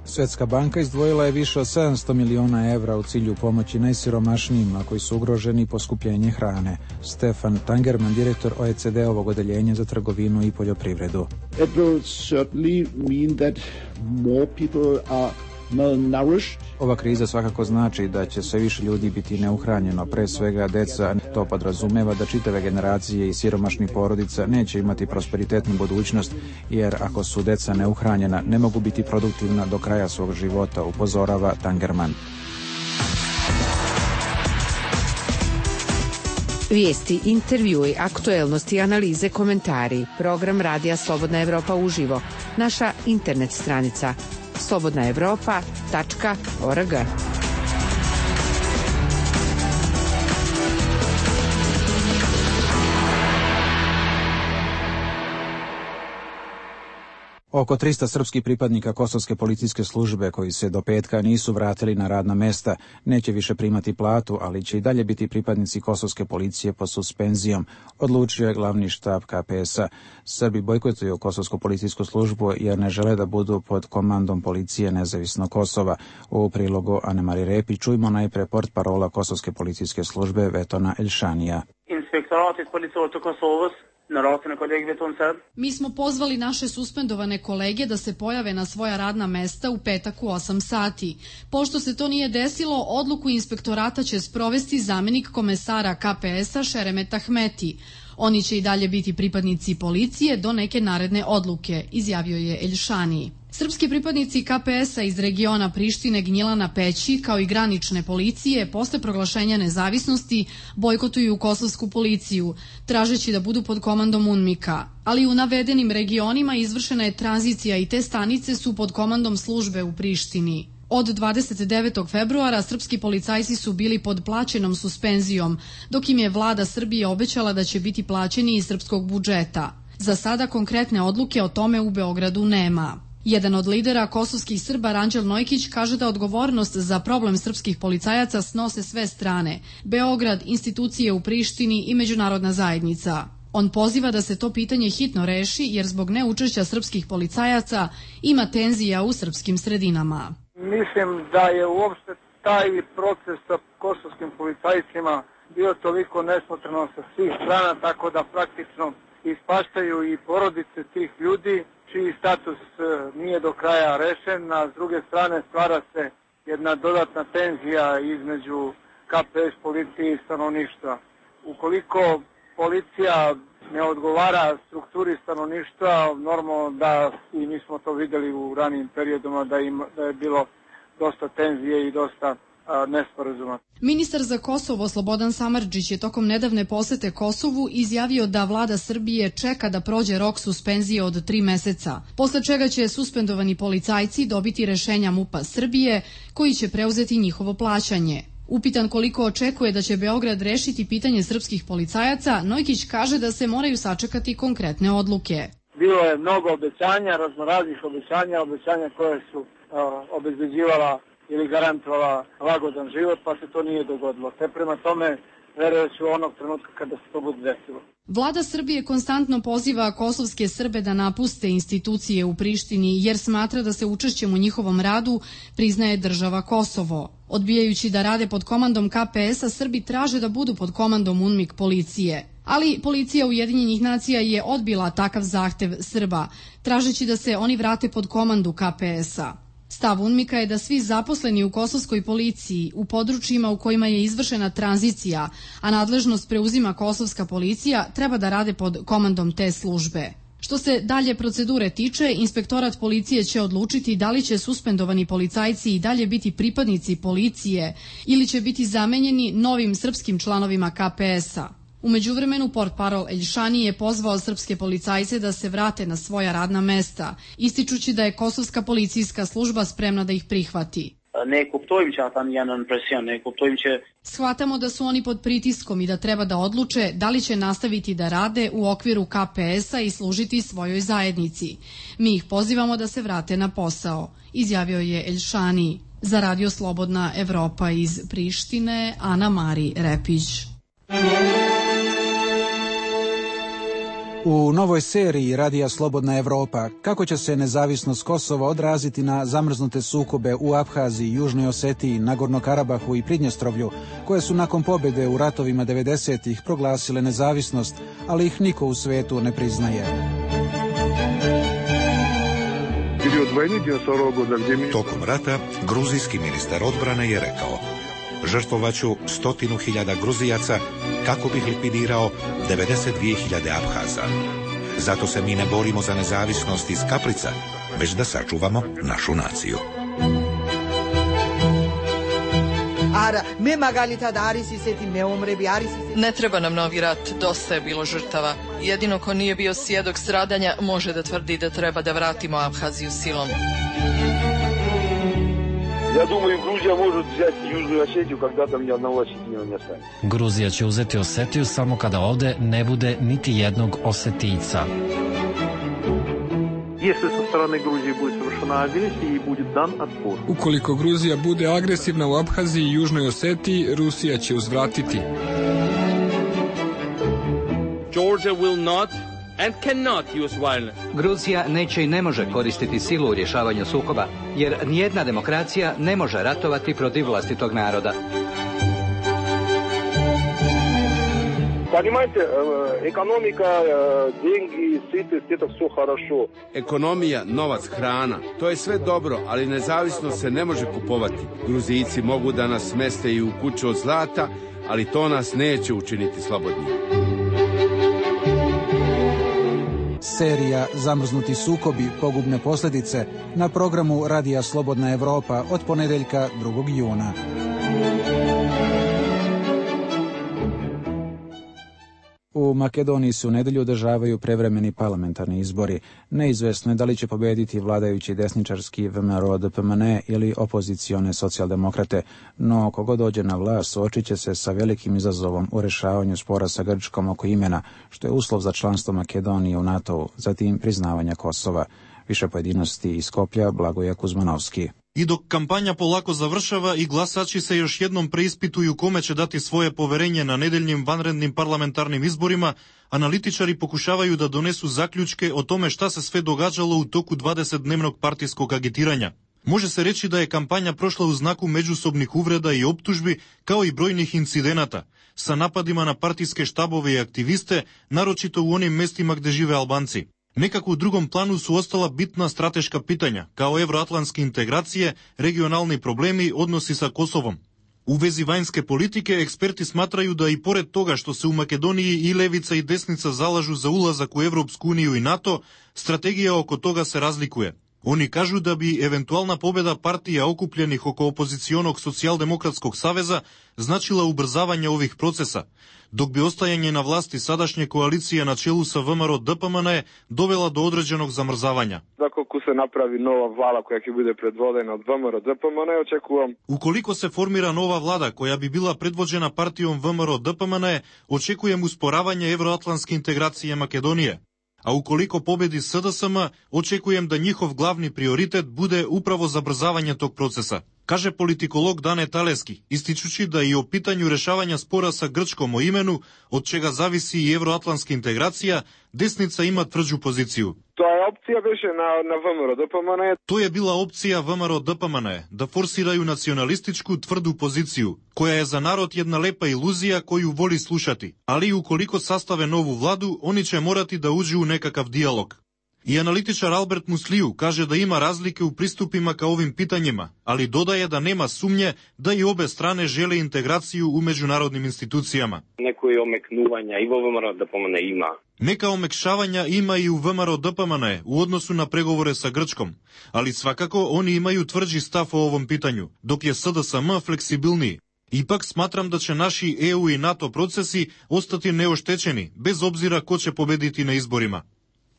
Svetska banka izdvojila je više od 700 miliona evra u cilju pomoći najsiromašnijima koji su ugroženi poskupljenje hrane. Stefan Tangerman, direktor OECD-ovog odeljenja za trgovinu i poljoprivredu. It will certainly mean that more people are malnourished. Ova kriza svakako znači da će sve više ljudi biti neuhranjeno, pre svega deca. To podrazumeva da čitave generacije i siromašnih porodica neće imati prosperitetnu budućnost, jer ako su deca neuhranjena, ne mogu biti produktivna do kraja svog života, upozorava Tangerman. Vijesti, intervjui, aktuelnosti, analize, komentari. Program Radija Slobodna Evropa uživo. Naša internet stranica slobodnaevropa.org. Oko 300 srpskih pripadnika Kosovske policijske službe koji se do petka nisu vratili na radna mesta neće više primati platu, ali će i dalje biti pripadnici Kosovske policije pod suspenzijom, odlučio je glavni štab KPS-a. Srbi bojkotuju Kosovsku policijsku službu jer ne žele da budu pod komandom policije nezavisnog Kosova. U prilogu Anemari Repi čujmo najpre portparola Kosovske policijske službe Vetona Elšanija. Inspektoratit policijskog Kosovos. Mi smo pozvali naše suspendovane kolege da se pojave na svoja radna mesta u petak u 8 sati. Pošto se to nije desilo, odluku inspektorata će sprovesti zamenik komesara KPS-a Šeremet Ahmeti. Oni će i dalje biti pripadnici policije do neke naredne odluke, izjavio je Elšani. Srpski pripadnici KPS-a iz regiona Prištine, Gnjilana, Peći, kao i granične policije, posle proglašenja nezavisnosti bojkotuju kosovsku policiju, tražeći da budu pod komandom UNMIK-a. Ali u navedenim regionima izvršena je tranzicija i te stanice su pod komandom službe u Prištini. Od 29. februara srpski policajci su bili pod plaćenom suspenzijom, dok im je vlada Srbije obećala da će biti plaćeni iz srpskog budžeta. Za sada konkretne odluke o tome u Beogradu nema. Jedan od lidera kosovskih Srba, Ranđel Nojkić, kaže da odgovornost za problem srpskih policajaca snose sve strane: Beograd, institucije u Prištini i međunarodna zajednica. On poziva da se to pitanje hitno reši jer zbog neučešća srpskih policajaca ima tenzija u srpskim sredinama. Mislim da je uopšte taj proces sa kosovskim policajcima bio toliko nesmotreno sa svih strana, tako da praktično ispaštaju i porodice tih ljudi čiji status nije do kraja rešen, a s druge strane stvara se jedna dodatna tenzija između KPS policije i stanovništva. Ukoliko policija ne odgovara strukturi stanovništva, normalno da, i mi smo to videli u ranijim periodima, da je bilo dosta tenzije i dosta nesporazuma. Ministar za Kosovo Slobodan Samardžić je tokom nedavne posete Kosovu izjavio da vlada Srbije čeka da prođe rok suspenzije od 3 meseca, posle čega će suspendovani policajci dobiti rešenja MUP-a Srbije koji će preuzeti njihovo plaćanje. Upitan koliko očekuje da će Beograd rešiti pitanje srpskih policajaca, Nojkić kaže da se moraju sačekati konkretne odluke. Bilo je mnogo obećanja, raznoraznih obećanja koje su obezbeđivala ili garantovala lagodan život, pa se to nije dogodilo. Te prema tome verujući u onog trenutka kada se to bude desilo. Vlada Srbije konstantno poziva kosovske Srbe da napuste institucije u Prištini jer smatra da se učešćem u njihovom radu priznaje država Kosovo. Odbijajući da rade pod komandom KPS-a, Srbi traže da budu pod komandom UNMIK policije. Ali policija Ujedinjenih nacija je odbila takav zahtev Srba, tražeći da se oni vrate pod komandu KPS-a. Stav UNMIK-a je da svi zaposleni u kosovskoj policiji u područjima u kojima je izvršena tranzicija, a nadležnost preuzima kosovska policija, treba da rade pod komandom te službe. Što se dalje procedure tiče, inspektorat policije će odlučiti da li će suspendovani policajci i dalje biti pripadnici policije ili će biti zamenjeni novim srpskim članovima KPS-a. U međuvremenu portparol Eljšani je pozvao srpske policajce da se vrate na svoja radna mesta, ističući da je kosovska policijska služba spremna da ih prihvati. Shvatamo da su oni pod pritiskom i da treba da odluče da li će nastaviti da rade u okviru KPS-a i služiti svojoj zajednici. Mi ih pozivamo da se vrate na posao, izjavio je Eljšani. Za Radio Slobodna Evropa iz Prištine, Ana Mari Repić. U novoj seriji Radija Slobodna Evropa kako će se nezavisnost Kosova odraziti na zamrznute sukobe u Abhaziji, Južnoj Osetiji, Nagorno Karabahu i Pridnjestrovlju, koje su nakon pobjede u ratovima 90-ih proglasile nezavisnost, ali ih niko u svetu ne priznaje. Tokom rata, gruzijski ministar odbrane je rekao: žrtvovaću 100.000 Gruzijaca kako bih likvidirao 92.000 Abhaza. Zato se mi ne borimo za nezavisnost iz kaprica, već da sačuvamo našu naciju. Ne treba nam novi rat, dosta je bilo žrtava. Jedino ko nije bio svjedok stradanja može da tvrdi da treba da vratimo Abhaziju silom. Ja думаю, Грузия может взять Южную Осетию, когда там ни одного осетина не останет. Gruzija će uzeti Osetiju samo kada ovde ne bude niti jednog Osetijca. Если со стороны Грузии будет совершена агрессия и будет дан отпор. Ukoliko Gruzija bude agresivna u Abhaziji i Južnoj Osetiji, Rusija će uzvratiti. Georgia will not and cannot use violence. Gruzija neće i ne može koristiti silu u rješavanju sukoba, jer nijedna demokracija ne može ratovati protiv vlastitog naroda. Понимаете, экономика, деньги, сытость, это все хорошо. Ekonomija, novac, hrana, to je sve dobro, ali nezavisnost se ne može kupovati. Gruzijci mogu da nas smeste i u kuću od zlata, ali to nas neće učiniti slobodnim. Serija Zamrznuti sukobi, pogubne posljedice na programu Radija Slobodna Evropa od ponedeljka 2. juna. U Makedoniji se u nedelju održavaju prevremeni parlamentarni izbori. Neizvesno je da li će pobediti vladajući desničarski VMRO-DPMNE ili opozicione socijaldemokrate, no kogo dođe na vlast suočit će se sa velikim izazovom u rešavanju spora sa Grčkom oko imena, što je uslov za članstvo Makedonije u NATO-u, zatim priznavanja Kosova. Više pojedinosti iz Skoplja, Blagoje Kuzmanovski. I dok kampanja polako završava i glasači se još jednom preispituju kome će dati svoje poverenje na nedeljnim vanrednim parlamentarnim izborima, analitičari pokušavaju da donesu zaključke o tome šta se sve događalo u toku 20-dnevnog partijskog agitiranja. Može se reći da je kampanja prošla u znaku međusobnih uvreda i optužbi, kao i brojnih incidenata, sa napadima na partijske štabove i aktiviste, naročito u onim mestima gde žive Albanci. Nekako u drugom planu su ostala bitna strateška pitanja, kao evroatlantske integracije, regionalni problemi, odnosi sa Kosovom. U vezi vanjske politike, eksperti smatraju da i pored toga što se u Makedoniji i levica i desnica zalažu za ulazak u Evropsku uniju i NATO, strategija oko toga se razlikuje. Oni kažu da bi eventualna pobjeda partija okupljenih oko opozicionog socijaldemokratskog saveza značila ubrzavanje ovih procesa, dok bi ostajanje na vlasti sadašnje koalicije na čelu sa VMRO DPMNE dovela do određenog zamrzavanja. Ako se napravi nova vlada koja će bude predvodena od VMRO DPMNE, očekujem. Ukoliko se formira nova vlada koja bi bila predvođena partijom VMRO DPMNE, očekujem usporavanje evroatlantske integracije Makedonije. A ukoliko pobedi SDSM, očekujem da njihov glavni prioritet bude upravo zabrzavanje tog procesa, kaže politikolog Dane Taleski, ističući da i o pitanju rešavanja spora sa Grčkom o imenu, od čega zavisi i evroatlantska integracija, desnica ima tvrđu poziciju. To je opcija više na VMRO DPMNE. To je bila opcija VMRO DPMNE, da forsiraju nacionalističku tvrdu poziciju, koja je za narod jedna lepa iluzija koju voli slušati, ali ukoliko sastave novu vladu, oni će morati da uđu u nekakav dijalog. I analitičar Albert Musliju kaže da ima razlike u pristupima ka ovim pitanjima, ali dodaje da nema sumnje da i obe strane žele integraciju u međunarodnim institucijama. Neko je omeknuvanja i VMRO DPMNE ima. Neka omekšavanja ima i u VMRO DPMNE u odnosu na pregovore sa Grčkom, ali svakako oni imaju tvrđi stav o ovom pitanju, dok je SDSM fleksibilniji. Ipak smatram da će naši EU i NATO procesi ostati neoštećeni, bez obzira ko će pobediti na izborima.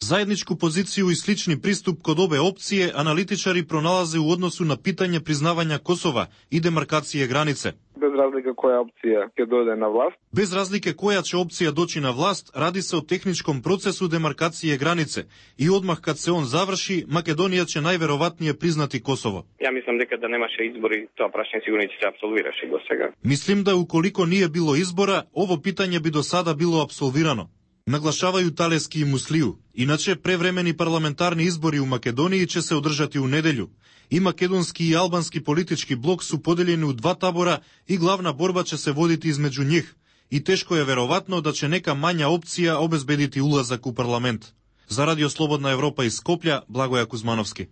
Zajedničku poziciju i slični pristup kod obe opcije analitičari pronalaze u odnosu na pitanje priznavanja Kosova i demarkacije granice. Bez razlike koja opcija će dođe na vlast. Bez razlike koja će opcija doći na vlast, radi se o tehničkom procesu demarkacije granice i odmah kad se on završi, Makedonija će najverovatnije priznati Kosovo. Ja mislim da nemaše izbori, to prašanje sigurno će se apsolviraši do svega. Mislim da ukoliko nije bilo izbora, ovo pitanje bi do sada bilo apsolvirano. Naglašavaju Taleski i Musliju. Inače, prevremeni parlamentarni izbori u Makedoniji će se održati u nedelju. I makedonski i albanski politički blok su podeljeni u dva tabora i glavna borba će se voditi između njih. I teško je verovatno da će neka manja opcija obezbediti ulazak u parlament. Za Radio Slobodna Evropa iz Skoplja, Blagoje Kuzmanovski.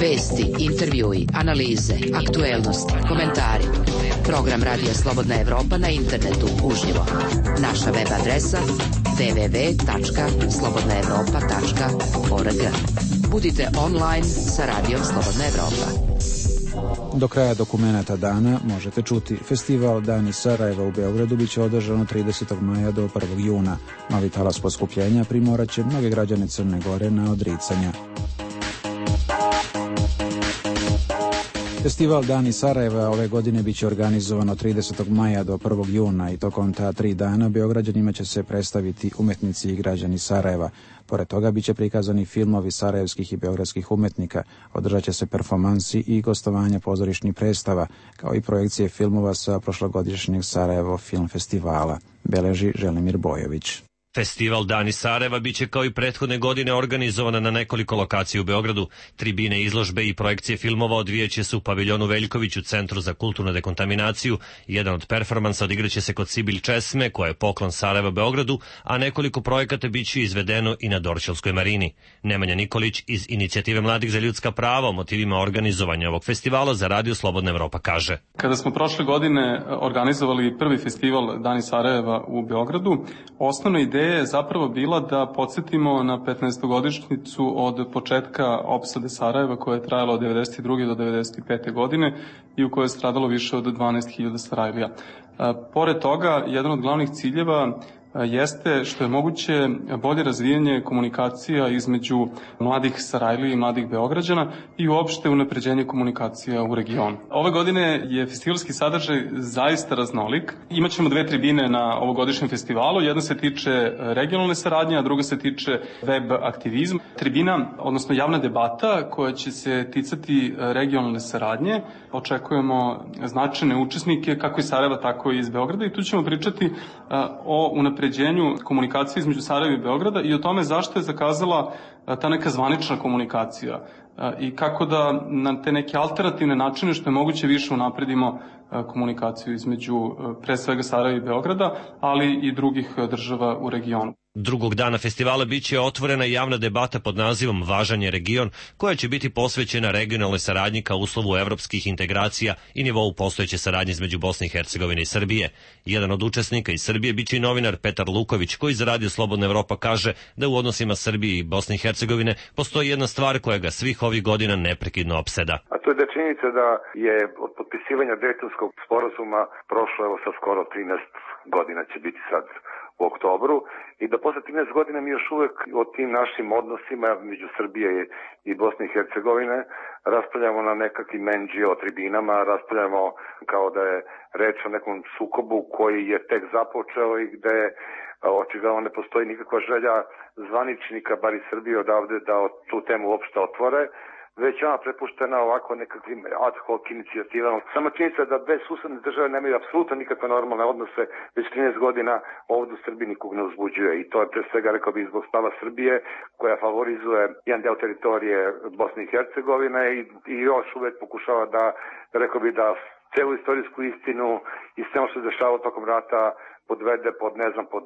Vesti, intervjui, analize, aktuelnost, komentari. Program Radija Slobodna Evropa na internetu uživo. Naša web adresa www.slobodnaevropa.org. Budite online sa Radijom Slobodna Evropa. Do kraja dokumenata dana možete čuti festival Dani Sarajeva u Beogradu biće održan od 30. maja do 1. juna. Novi talas poskupljenja primoraće mnoge građane Crne Gore na odricanja. Festival Dani Sarajeva ove godine biće organizovan od 30. maja do 1. juna i tokom ta 3 dana Beograđanima će se predstaviti umetnici i građani Sarajeva. Pored toga biće prikazani filmovi sarajevskih i beogradskih umetnika, održat će se performansi i gostovanja pozorišnih predstava, kao i projekcije filmova sa prošlogodišnjeg Sarajevo film festivala, beleži Želimir Bojović. Festival Dani Sarajeva biće kao i prethodne godine organizovana na nekoliko lokacija u Beogradu. Tribine, izložbe i projekcije filmova odvijaće se u paviljonu Veljković u Centru za kulturnu dekontaminaciju. Jedan od performansa odigraće se kod Sibilj Česme, koja je poklon Sarajeva Beogradu, a nekoliko projekata biće izvedeno i na Dorćolskoj marini. Nemanja Nikolić iz Inicijative mladih za ljudska prava o motivima organizovanja ovog festivala za Radio Slobodna Evropa kaže. Kada smo prošle godine organizovali prvi festival Dani Sarajeva u Beogradu, osnovna ideja je zapravo bila da podsjetimo na 15-godišnjicu od početka opsade Sarajeva koja je trajala od 92. do 95. godine i u kojoj je stradalo više od 12.000 Sarajlija. Pored toga, jedan od glavnih ciljeva jeste što je moguće bolje razvijanje komunikacija između mladih Sarajlije i mladih Beograđana i uopšte unapređenje komunikacija u regionu. Ove godine je festivalski sadržaj zaista raznolik. Imaćemo 2 tribine na ovogodišnjem festivalu. Jedna se tiče regionalne saradnje, a druga se tiče web aktivizma. Tribina, odnosno javna debata koja će se ticati regionalne saradnje. Očekujemo značajne učesnike kako iz Sarajeva, tako i iz Beograda i tu ćemo pričati o unapređenju komunikacije između Sarajeva i Beograda i o tome zašto je zakazala ta neka zvanična komunikacija i kako da na te neke alternativne načine što je moguće više unapredimo komunikaciju između pre svega Sarajeva i Beograda, ali i drugih država u regionu. Drugog dana festivala biće otvorena javna debata pod nazivom Važan je region, koja će biti posvećena regionalnoj saradnji kao uslovu evropskih integracija i nivou postojeće saradnje između Bosne i Hercegovine i Srbije. Jedan od učesnika iz Srbije biće i novinar Petar Luković, koji za Radio Slobodna Evropa kaže da u odnosima Srbije i Bosne i Hercegovine postoji jedna stvar koja ga svih ovih godina neprekidno opseda. A to je da činjenica da je od potpisivanja Dejtonskog sporazuma prošlo evo sa skoro 13 godina će biti sad u oktobru i da posle 13 godina mi još uvek o tim našim odnosima među Srbije i Bosne i Hercegovine raspravljamo na nekakvim NGO tribinama, raspravljamo kao da je reč o nekom sukobu koji je tek započeo i gde očigledno ne postoji nikakva želja zvaničnika, bar iz Srbije odavde, da tu temu uopšte otvore, već ona prepuštena ovako nekakvim ad hoc inicijativama. Samo činjenica da bez susedne države nemaju apsolutno nikakve normalne odnose, već 13 godina ovdje u Srbiji nikog ne uzbuđuje i to je pre svega, rekao bih, zbog stava Srbije koja favorizuje jedan deo teritorije Bosne i Hercegovine i još uvek pokušava da, rekao bih, da celu istorijsku istinu i sve što se dešava tokom rata podvede pod, ne znam, pod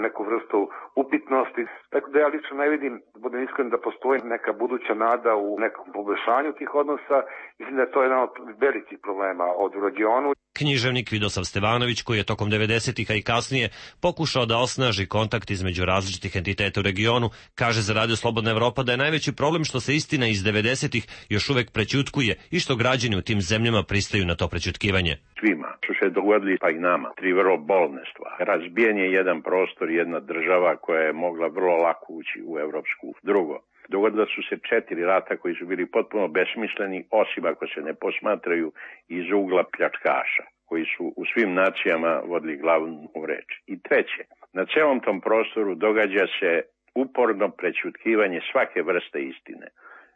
neku vrstu upitnosti. Tako da ja lično ne vidim, budem iskren, da postoji neka buduća nada u nekom poboljšanju tih odnosa. Mislim da je to jedan od velikih problema od regionu. Književnik Vidosav Stevanović, koji je tokom 90-ih, a i kasnije, pokušao da osnaži kontakt između različitih entiteta u regionu, kaže za Radio Slobodna Evropa da je najveći problem što se istina iz 90-ih još uvek prećutkuje i što građani u tim zemljama pristaju na to prećutkivanje. Svima su se dogodili, pa i nama, 3 vrlo bolne stvari. Razbijen je jedan prostor, jedna država koja je mogla vrlo lako ući u Evropsku. Drugo, dogodila su se 4 rata koji su bili potpuno besmisleni, osim ako se ne posmatraju iz ugla pljačkaša, koji su u svim nacijama vodili glavnu reč. I treće, na celom tom prostoru događa se uporno prećutkivanje svake vrste istine.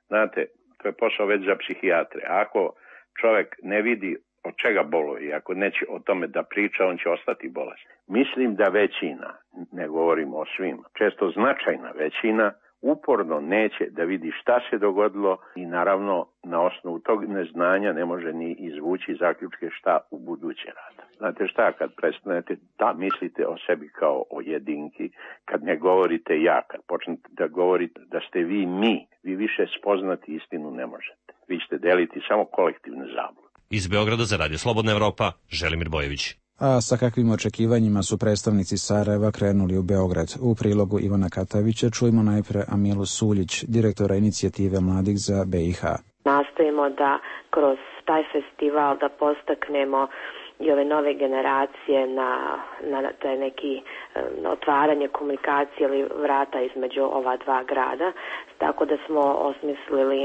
Znate, to je posao već za psihijatre. Ako čovjek ne vidi od čega boluje i ako neće o tome da priča, on će ostati bolestan. Mislim da većina, ne govorim o svima, često značajna većina, uporno neće da vidi šta se dogodilo i naravno na osnovu tog neznanja ne može ni izvući zaključke šta u buduće rada. Znate šta, kad prestanete da mislite o sebi kao o jedinki, kad ne govorite ja, kad počnete da govorite da ste vi mi, vi više spoznati istinu ne možete. Vi ćete deliti samo kolektivne zablude. Iz Beograda za Radio Slobodna Evropa, Želimir Bojević. A sa kakvim očekivanjima su predstavnici Sarajeva krenuli u Beograd? U prilogu Ivana Katavića čujemo najpre Amilu Suljić, direktora inicijative Mladih za BiH. Nastojimo da kroz taj festival da postaknemo i ove nove generacije na taj neki otvaranje komunikacije ili vrata između ova dva grada. Tako da smo osmislili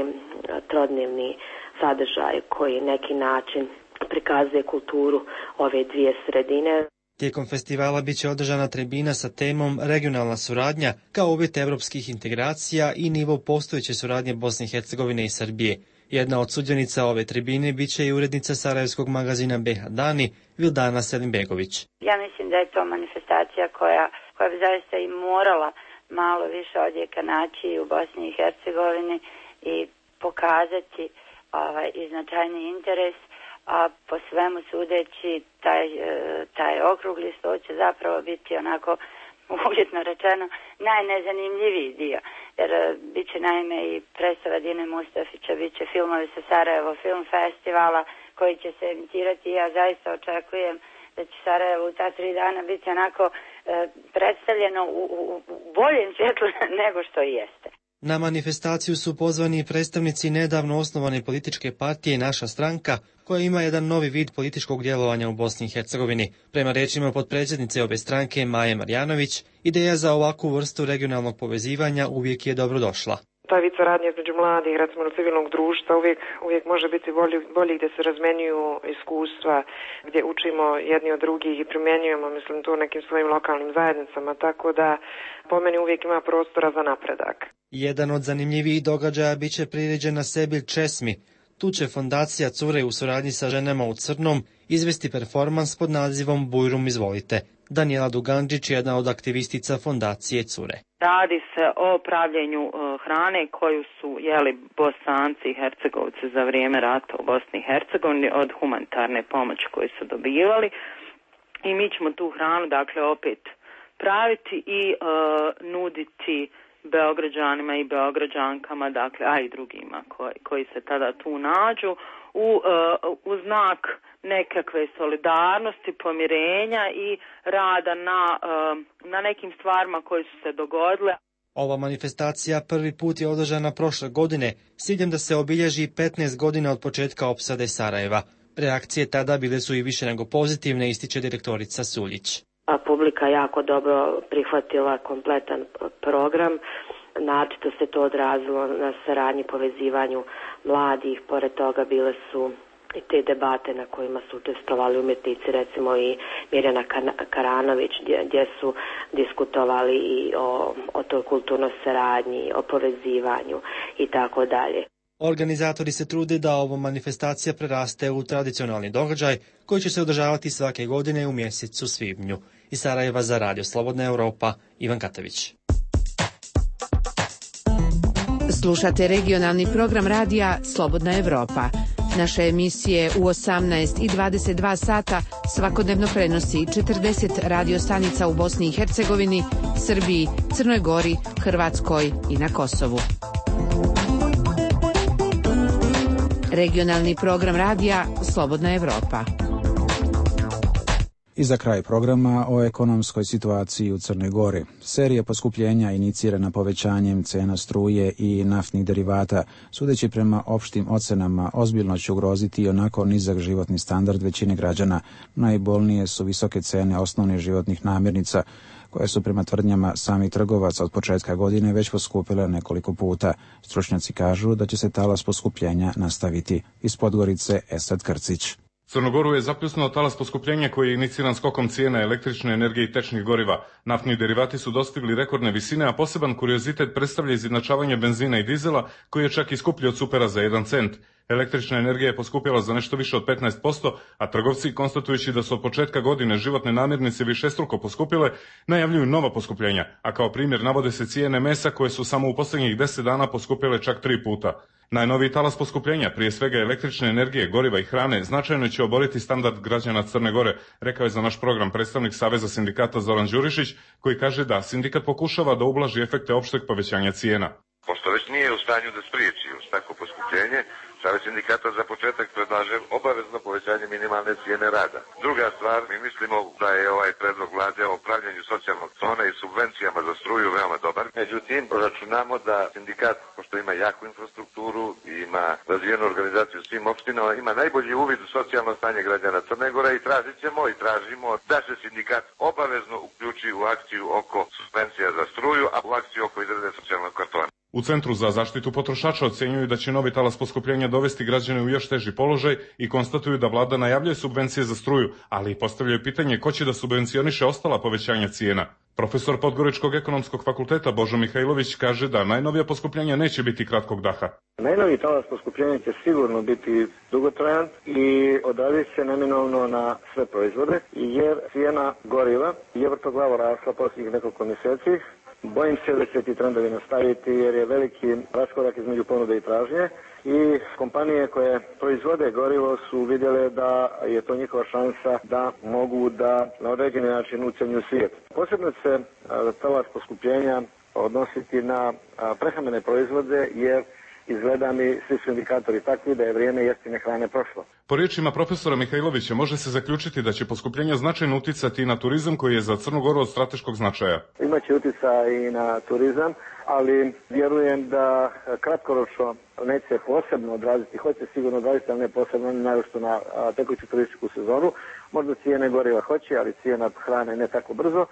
trodnevni sadržaj koji neki način prikazuje kulturu ove dvije sredine. Tijekom festivala biće održana tribina sa temom regionalna suradnja kao uvjet evropskih integracija i nivo postojeće suradnje Bosne i Hercegovine i Srbije. Jedna od sudionica ove tribine biće i urednica sarajevskog magazina BiH Dani, Vildana Selimbegović. Ja mislim da je to manifestacija koja bi zaista i morala malo više odjeka naći u Bosni i Hercegovini i pokazati i značajni interes, a po svemu sudeći taj okrugli sto će zapravo biti onako uvjetno rečeno najnezanimljiviji dio, jer bit će naime i predstava Dine Mustafića, bit će filmovi sa Sarajevo Film Festivala koji će se emitirati i ja zaista očekujem da će Sarajevo u ta 3 dana biti onako predstavljeno u boljem svjetlu nego što i jeste. Na manifestaciju su pozvani predstavnici nedavno osnovane političke partije Naša stranka, koja ima jedan novi vid političkog djelovanja u Bosni i Hercegovini. Prema rečima potpredsjednice obe stranke Maje Marjanović, ideja za ovakvu vrstu regionalnog povezivanja uvijek je dobrodošla. Ta vid saradnje između mladih, recimo civilnog društva, uvijek može biti bolji gdje se razmenjuju iskustva, gdje učimo jedni od drugih i primjenjujemo, mislim, to u nekim svojim lokalnim zajednicama, tako da po meni uvijek ima prostora za napredak. Jedan od zanimljivijih događaja bit će priređen na Sebil Česmi. Tu će fondacija Cure u suradnji sa Ženama u crnom izvesti performans pod nazivom Bujrum izvolite. Danijela Dugančić je jedna od aktivistica fondacije Cure. Radi se o pravljenju hrane koju su jeli Bosanci i Hercegovci za vrijeme rata u Bosni i Hercegovini od humanitarne pomoći koju su dobivali. I mi ćemo tu hranu dakle opet praviti i nuditi Beograđanima i Beograđankama, dakle, a i drugima koji se tada tu nađu u znak nekakve solidarnosti, pomirenja i rada na nekim stvarima koje su se dogodile. Ova manifestacija prvi put je održana prošle godine s ciljem da se obilježi 15 godina od početka opsade Sarajeva. Reakcije tada bile su i više nego pozitivne, ističe direktorica Suljić. A publika jako dobro prihvatila kompletan program. Naročito se to odrazilo na saradnji, povezivanju mladih. Pored toga bile su i te debate na kojima su učestvovali umjetnici, recimo i Mirjana Karanović, gdje su diskutovali i o toj kulturnoj saradnji, o povezivanju i tako dalje. Organizatori se trude da ova manifestacija preraste u tradicionalni događaj koji će se održavati svake godine u mjesecu svibnju. Iz Sarajeva za Radio Slobodna Europa, Ivan Katavić. Slušate regionalni program radija Slobodna Europa. Naše emisije u 18 i 22 sata svakodnevno prenosi 40 radiostanica u Bosni i Hercegovini, Srbiji, Crnoj Gori, Hrvatskoj i na Kosovu. Regionalni program radija Slobodna Europa. I za kraj programa o ekonomskoj situaciji u Crnoj Gori. Serija poskupljenja inicirana povećanjem cena struje i naftnih derivata, sudeći prema opštim ocenama, ozbiljno će ugroziti i onako nizak životni standard većine građana. Najbolnije su visoke cene osnovnih životnih namirnica, koje su prema tvrdnjama samih trgovaca od početka godine već poskupile nekoliko puta. Stručnjaci kažu da će se talas poskupljenja nastaviti. Iz Podgorice, Esad Krcić. Crnogoru je zapljusnuo talas poskupljenja koji je iniciran skokom cijena električne energije i tečnih goriva. Naftni derivati su dostigli rekordne visine, a poseban kuriozitet predstavlja izjednačavanje benzina i dizela, koji je čak i skuplji od supera za 1 cent. Električna energija je poskupjela za nešto više od 15%, a trgovci, konstatujući da su od početka godine životne namirnice višestruko poskupile, najavljuju nova poskupljenja, a kao primjer navode se cijene mesa koje su samo u posljednjih 10 dana poskupjele čak 3 puta. Najnoviji talas poskupljenja, prije svega električne energije, goriva i hrane, značajno će oboriti standard građana Crne Gore, rekao je za naš program predstavnik Saveza sindikata Zoran Đurišić, koji kaže da sindikat pokušava da ublaži efekte opšteg povećanja cijena. Pošto već nije u stanju da spriječi tako poskupljenje, Savez sindikata za početak predlaže obavezno povećanje minimalne cijene rada. Druga stvar, mi mislimo da je ovaj predlog vlade o pravljenju socijalnog zona i subvencijama za struju veoma dobar. Međutim, računamo da sindikat, pošto ima jaku infrastrukturu i ima razvijenu organizaciju u svim opštinama, ima najbolji uvid u socijalno stanje građana Crne Gore i tražimo da se sindikat obavezno uključi u akciju oko subvencija za struju, a u akciju oko izrade socijalnog kartona. U Centru za zaštitu potrošača ocenjuju da će novi talas poskupljenja dovesti građane u još teži položaj i konstatuju da vlada najavljuje subvencije za struju, ali i postavljaju pitanje ko će da subvencioniše ostala povećanja cijena. Profesor Podgoričkog ekonomskog fakulteta Božo Mihajlović kaže da najnovija poskupljenja neće biti kratkog daha. Najnoviji talas poskupljenja će sigurno biti dugotrajan i odrazit se neminovno na sve proizvode, jer cijena goriva je vrtoglavo rasla posljednjih nekoliko mjeseci. Bojim se da će ti trendovi nastaviti jer je veliki raskorak između ponude i tražnje i kompanije koje proizvode gorivo su vidjele da je to njihova šansa da mogu da na određeni način ucjenjuju svijet. Posebno se talas poskupljenja odnositi na prehrambene proizvode jer izgleda mi svi su indikatori takvi da je vrijeme jeftine hrane prošlo. Po riječima profesora Mihajlovića može se zaključiti da će poskupljenje značajno uticati i na turizam koji je za Crnu Goru od strateškog značaja. Imaće utjecaj i na turizam, ali vjerujem da kratkoročno neće se posebno odraziti, hoće sigurno odraziti, ali ne posebno, naročito na tekuću turističku sezonu. Možda cijene goriva hoće, ali cijena hrane ne tako brzo.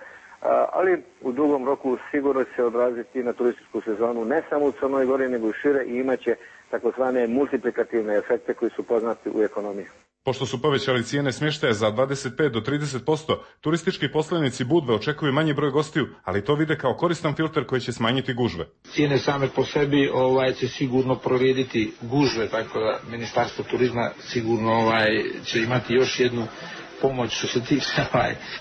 Ali u dugom roku sigurno će se odraziti na turističku sezonu, ne samo u Crnoj Gori, nego i šire, i imaće takozvane multiplikativne efekte koji su poznati u ekonomiji. Pošto su povećali cijene smještaja za 25 do 30%, turistički poslovnici Budve očekuju manji broj gostiju, ali to vide kao koristan filter koji će smanjiti gužve. Cijene same po sebi će sigurno prorediti gužve, tako da Ministarstvo turizma sigurno će imati još jednu pomoć što se tiče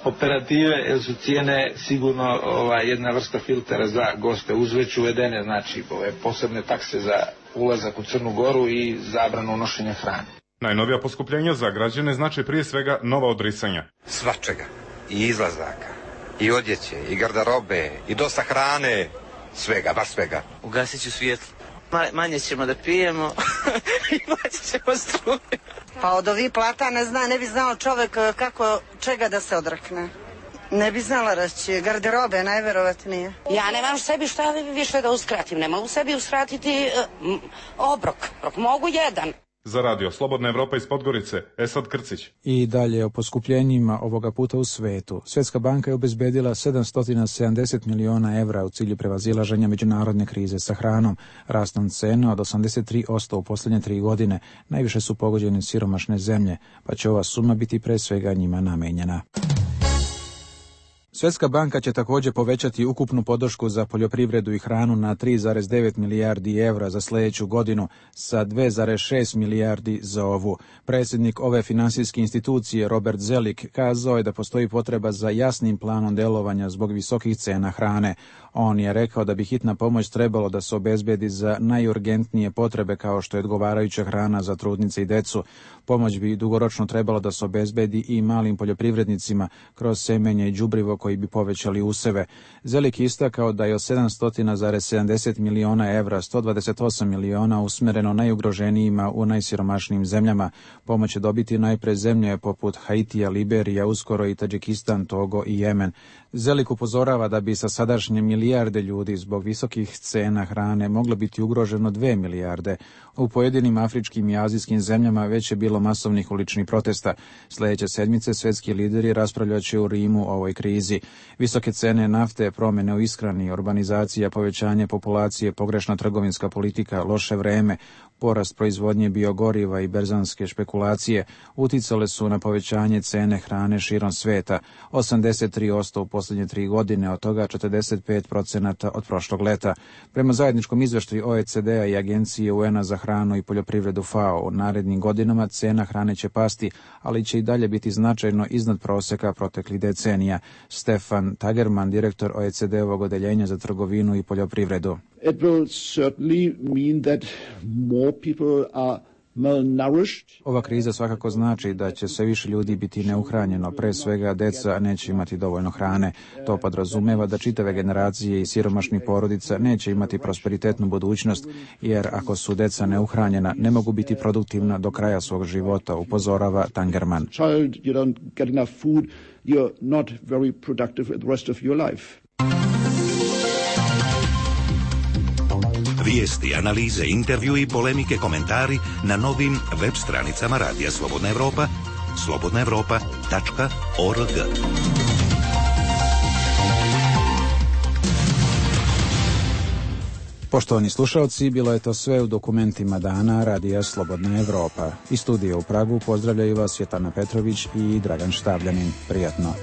operative, jer su cijene sigurno jedna vrsta filtera za goste. Uz već uvedene, znači posebne takse za ulazak u Crnu Goru i zabranu nošenja hrane. Najnovija poskupljenja za građane znači prije svega nova odricanja. Svačega, i izlazaka, i odjeće, i garderobe, i dosta hrane, svega, baš svega. Ugasit ću svjetlo. Manje ćemo da pijemo i manje ćemo struje. Pa od ovih plata ne bi znao čovjek kako čega da se odrekne. Ne bi znala reći, garderobe najverovatnije. Ja nemam sebi šta više da uskratim, ne mogu sebi uskratiti obrok, mogu jedan. Za radio Slobodna Evropa iz Podgorice, Esad Krcić. I dalje o poskupljenjima ovoga puta u svetu. Svjetska banka je obezbedila 770 miliona evra u cilju prevazilaženja međunarodne krize sa hranom. Rastom cena od 83% u posljednje 3 godine. Najviše su pogođene siromašne zemlje, pa će ova suma biti pre svega njima namenjena. Svjetska banka će također povećati ukupnu podršku za poljoprivredu i hranu na 3,9 milijardi evra za sljedeću godinu sa 2,6 milijardi za ovu. Predsjednik ove finansijske institucije Robert Zelik kazao je da postoji potreba za jasnim planom djelovanja zbog visokih cena hrane. On je rekao da bi hitna pomoć trebalo da se obezbedi za najurgentnije potrebe kao što je odgovarajuća hrana za trudnice i decu. Pomoć bi dugoročno trebalo da se obezbedi i malim poljoprivrednicima kroz semenje i đubrivo koji bi povećali useve. Zelik istakao da je od 770 miliona evra 128 miliona usmjereno najugroženijima u najsiromašnijim zemljama. Pomoć će dobiti najpre zemlje poput Haitija, Liberija, uskoro i Tadžikistan, Togo i Jemen. Zelik upozorava da bi sa sadašnje milijarde ljudi zbog visokih cena hrane moglo biti ugroženo 2 milijarde. U pojedinim afričkim i azijskim zemljama već je bilo masovnih uličnih protesta. Sljedeće sedmice svjetski lideri raspravljat će u Rimu o ovoj krizi. Visoke cene nafte, promjene u ishrani, urbanizacija, povećanje populacije, pogrešna trgovinska politika, loše vreme, porast proizvodnje biogoriva i berzanske špekulacije uticale su na povećanje cene hrane širom sveta, 83% u posljednje 3 godine, od toga 45% od prošlog leta. Prema zajedničkom izveštaju OECD-a i Agencije UN-a za hranu i poljoprivredu FAO, u narednim godinama cena hrane će pasti, ali će i dalje biti značajno iznad prosjeka proteklih decenija. Stefan Tagerman, direktor OECD-ovog odeljenja za trgovinu i poljoprivredu. It will certainly mean that more people are malnourished. Ova kriza svakako znači da će sve više ljudi biti neuhranjeno, pre svega deca neće imati dovoljno hrane. To podrazumeva da čitave generacije i siromašnih porodica neće imati prosperitetnu budućnost, jer ako su deca neuhranjena, ne mogu biti produktivna do kraja svog života, upozorava Tangerman. Child, you don't get enough food, you're not very productive the rest of your life. Vijesti, analize, intervju i polemike, komentari na novim web stranicama Radija Slobodna Evropa, slobodnaevropa.org. Poštovani slušalci, bilo je to sve u dokumentima dana Radija Slobodna Evropa. Iz studija u Pragu pozdravljaju vas Svjetlana Petrović i Dragan Štavljanin. Prijatno.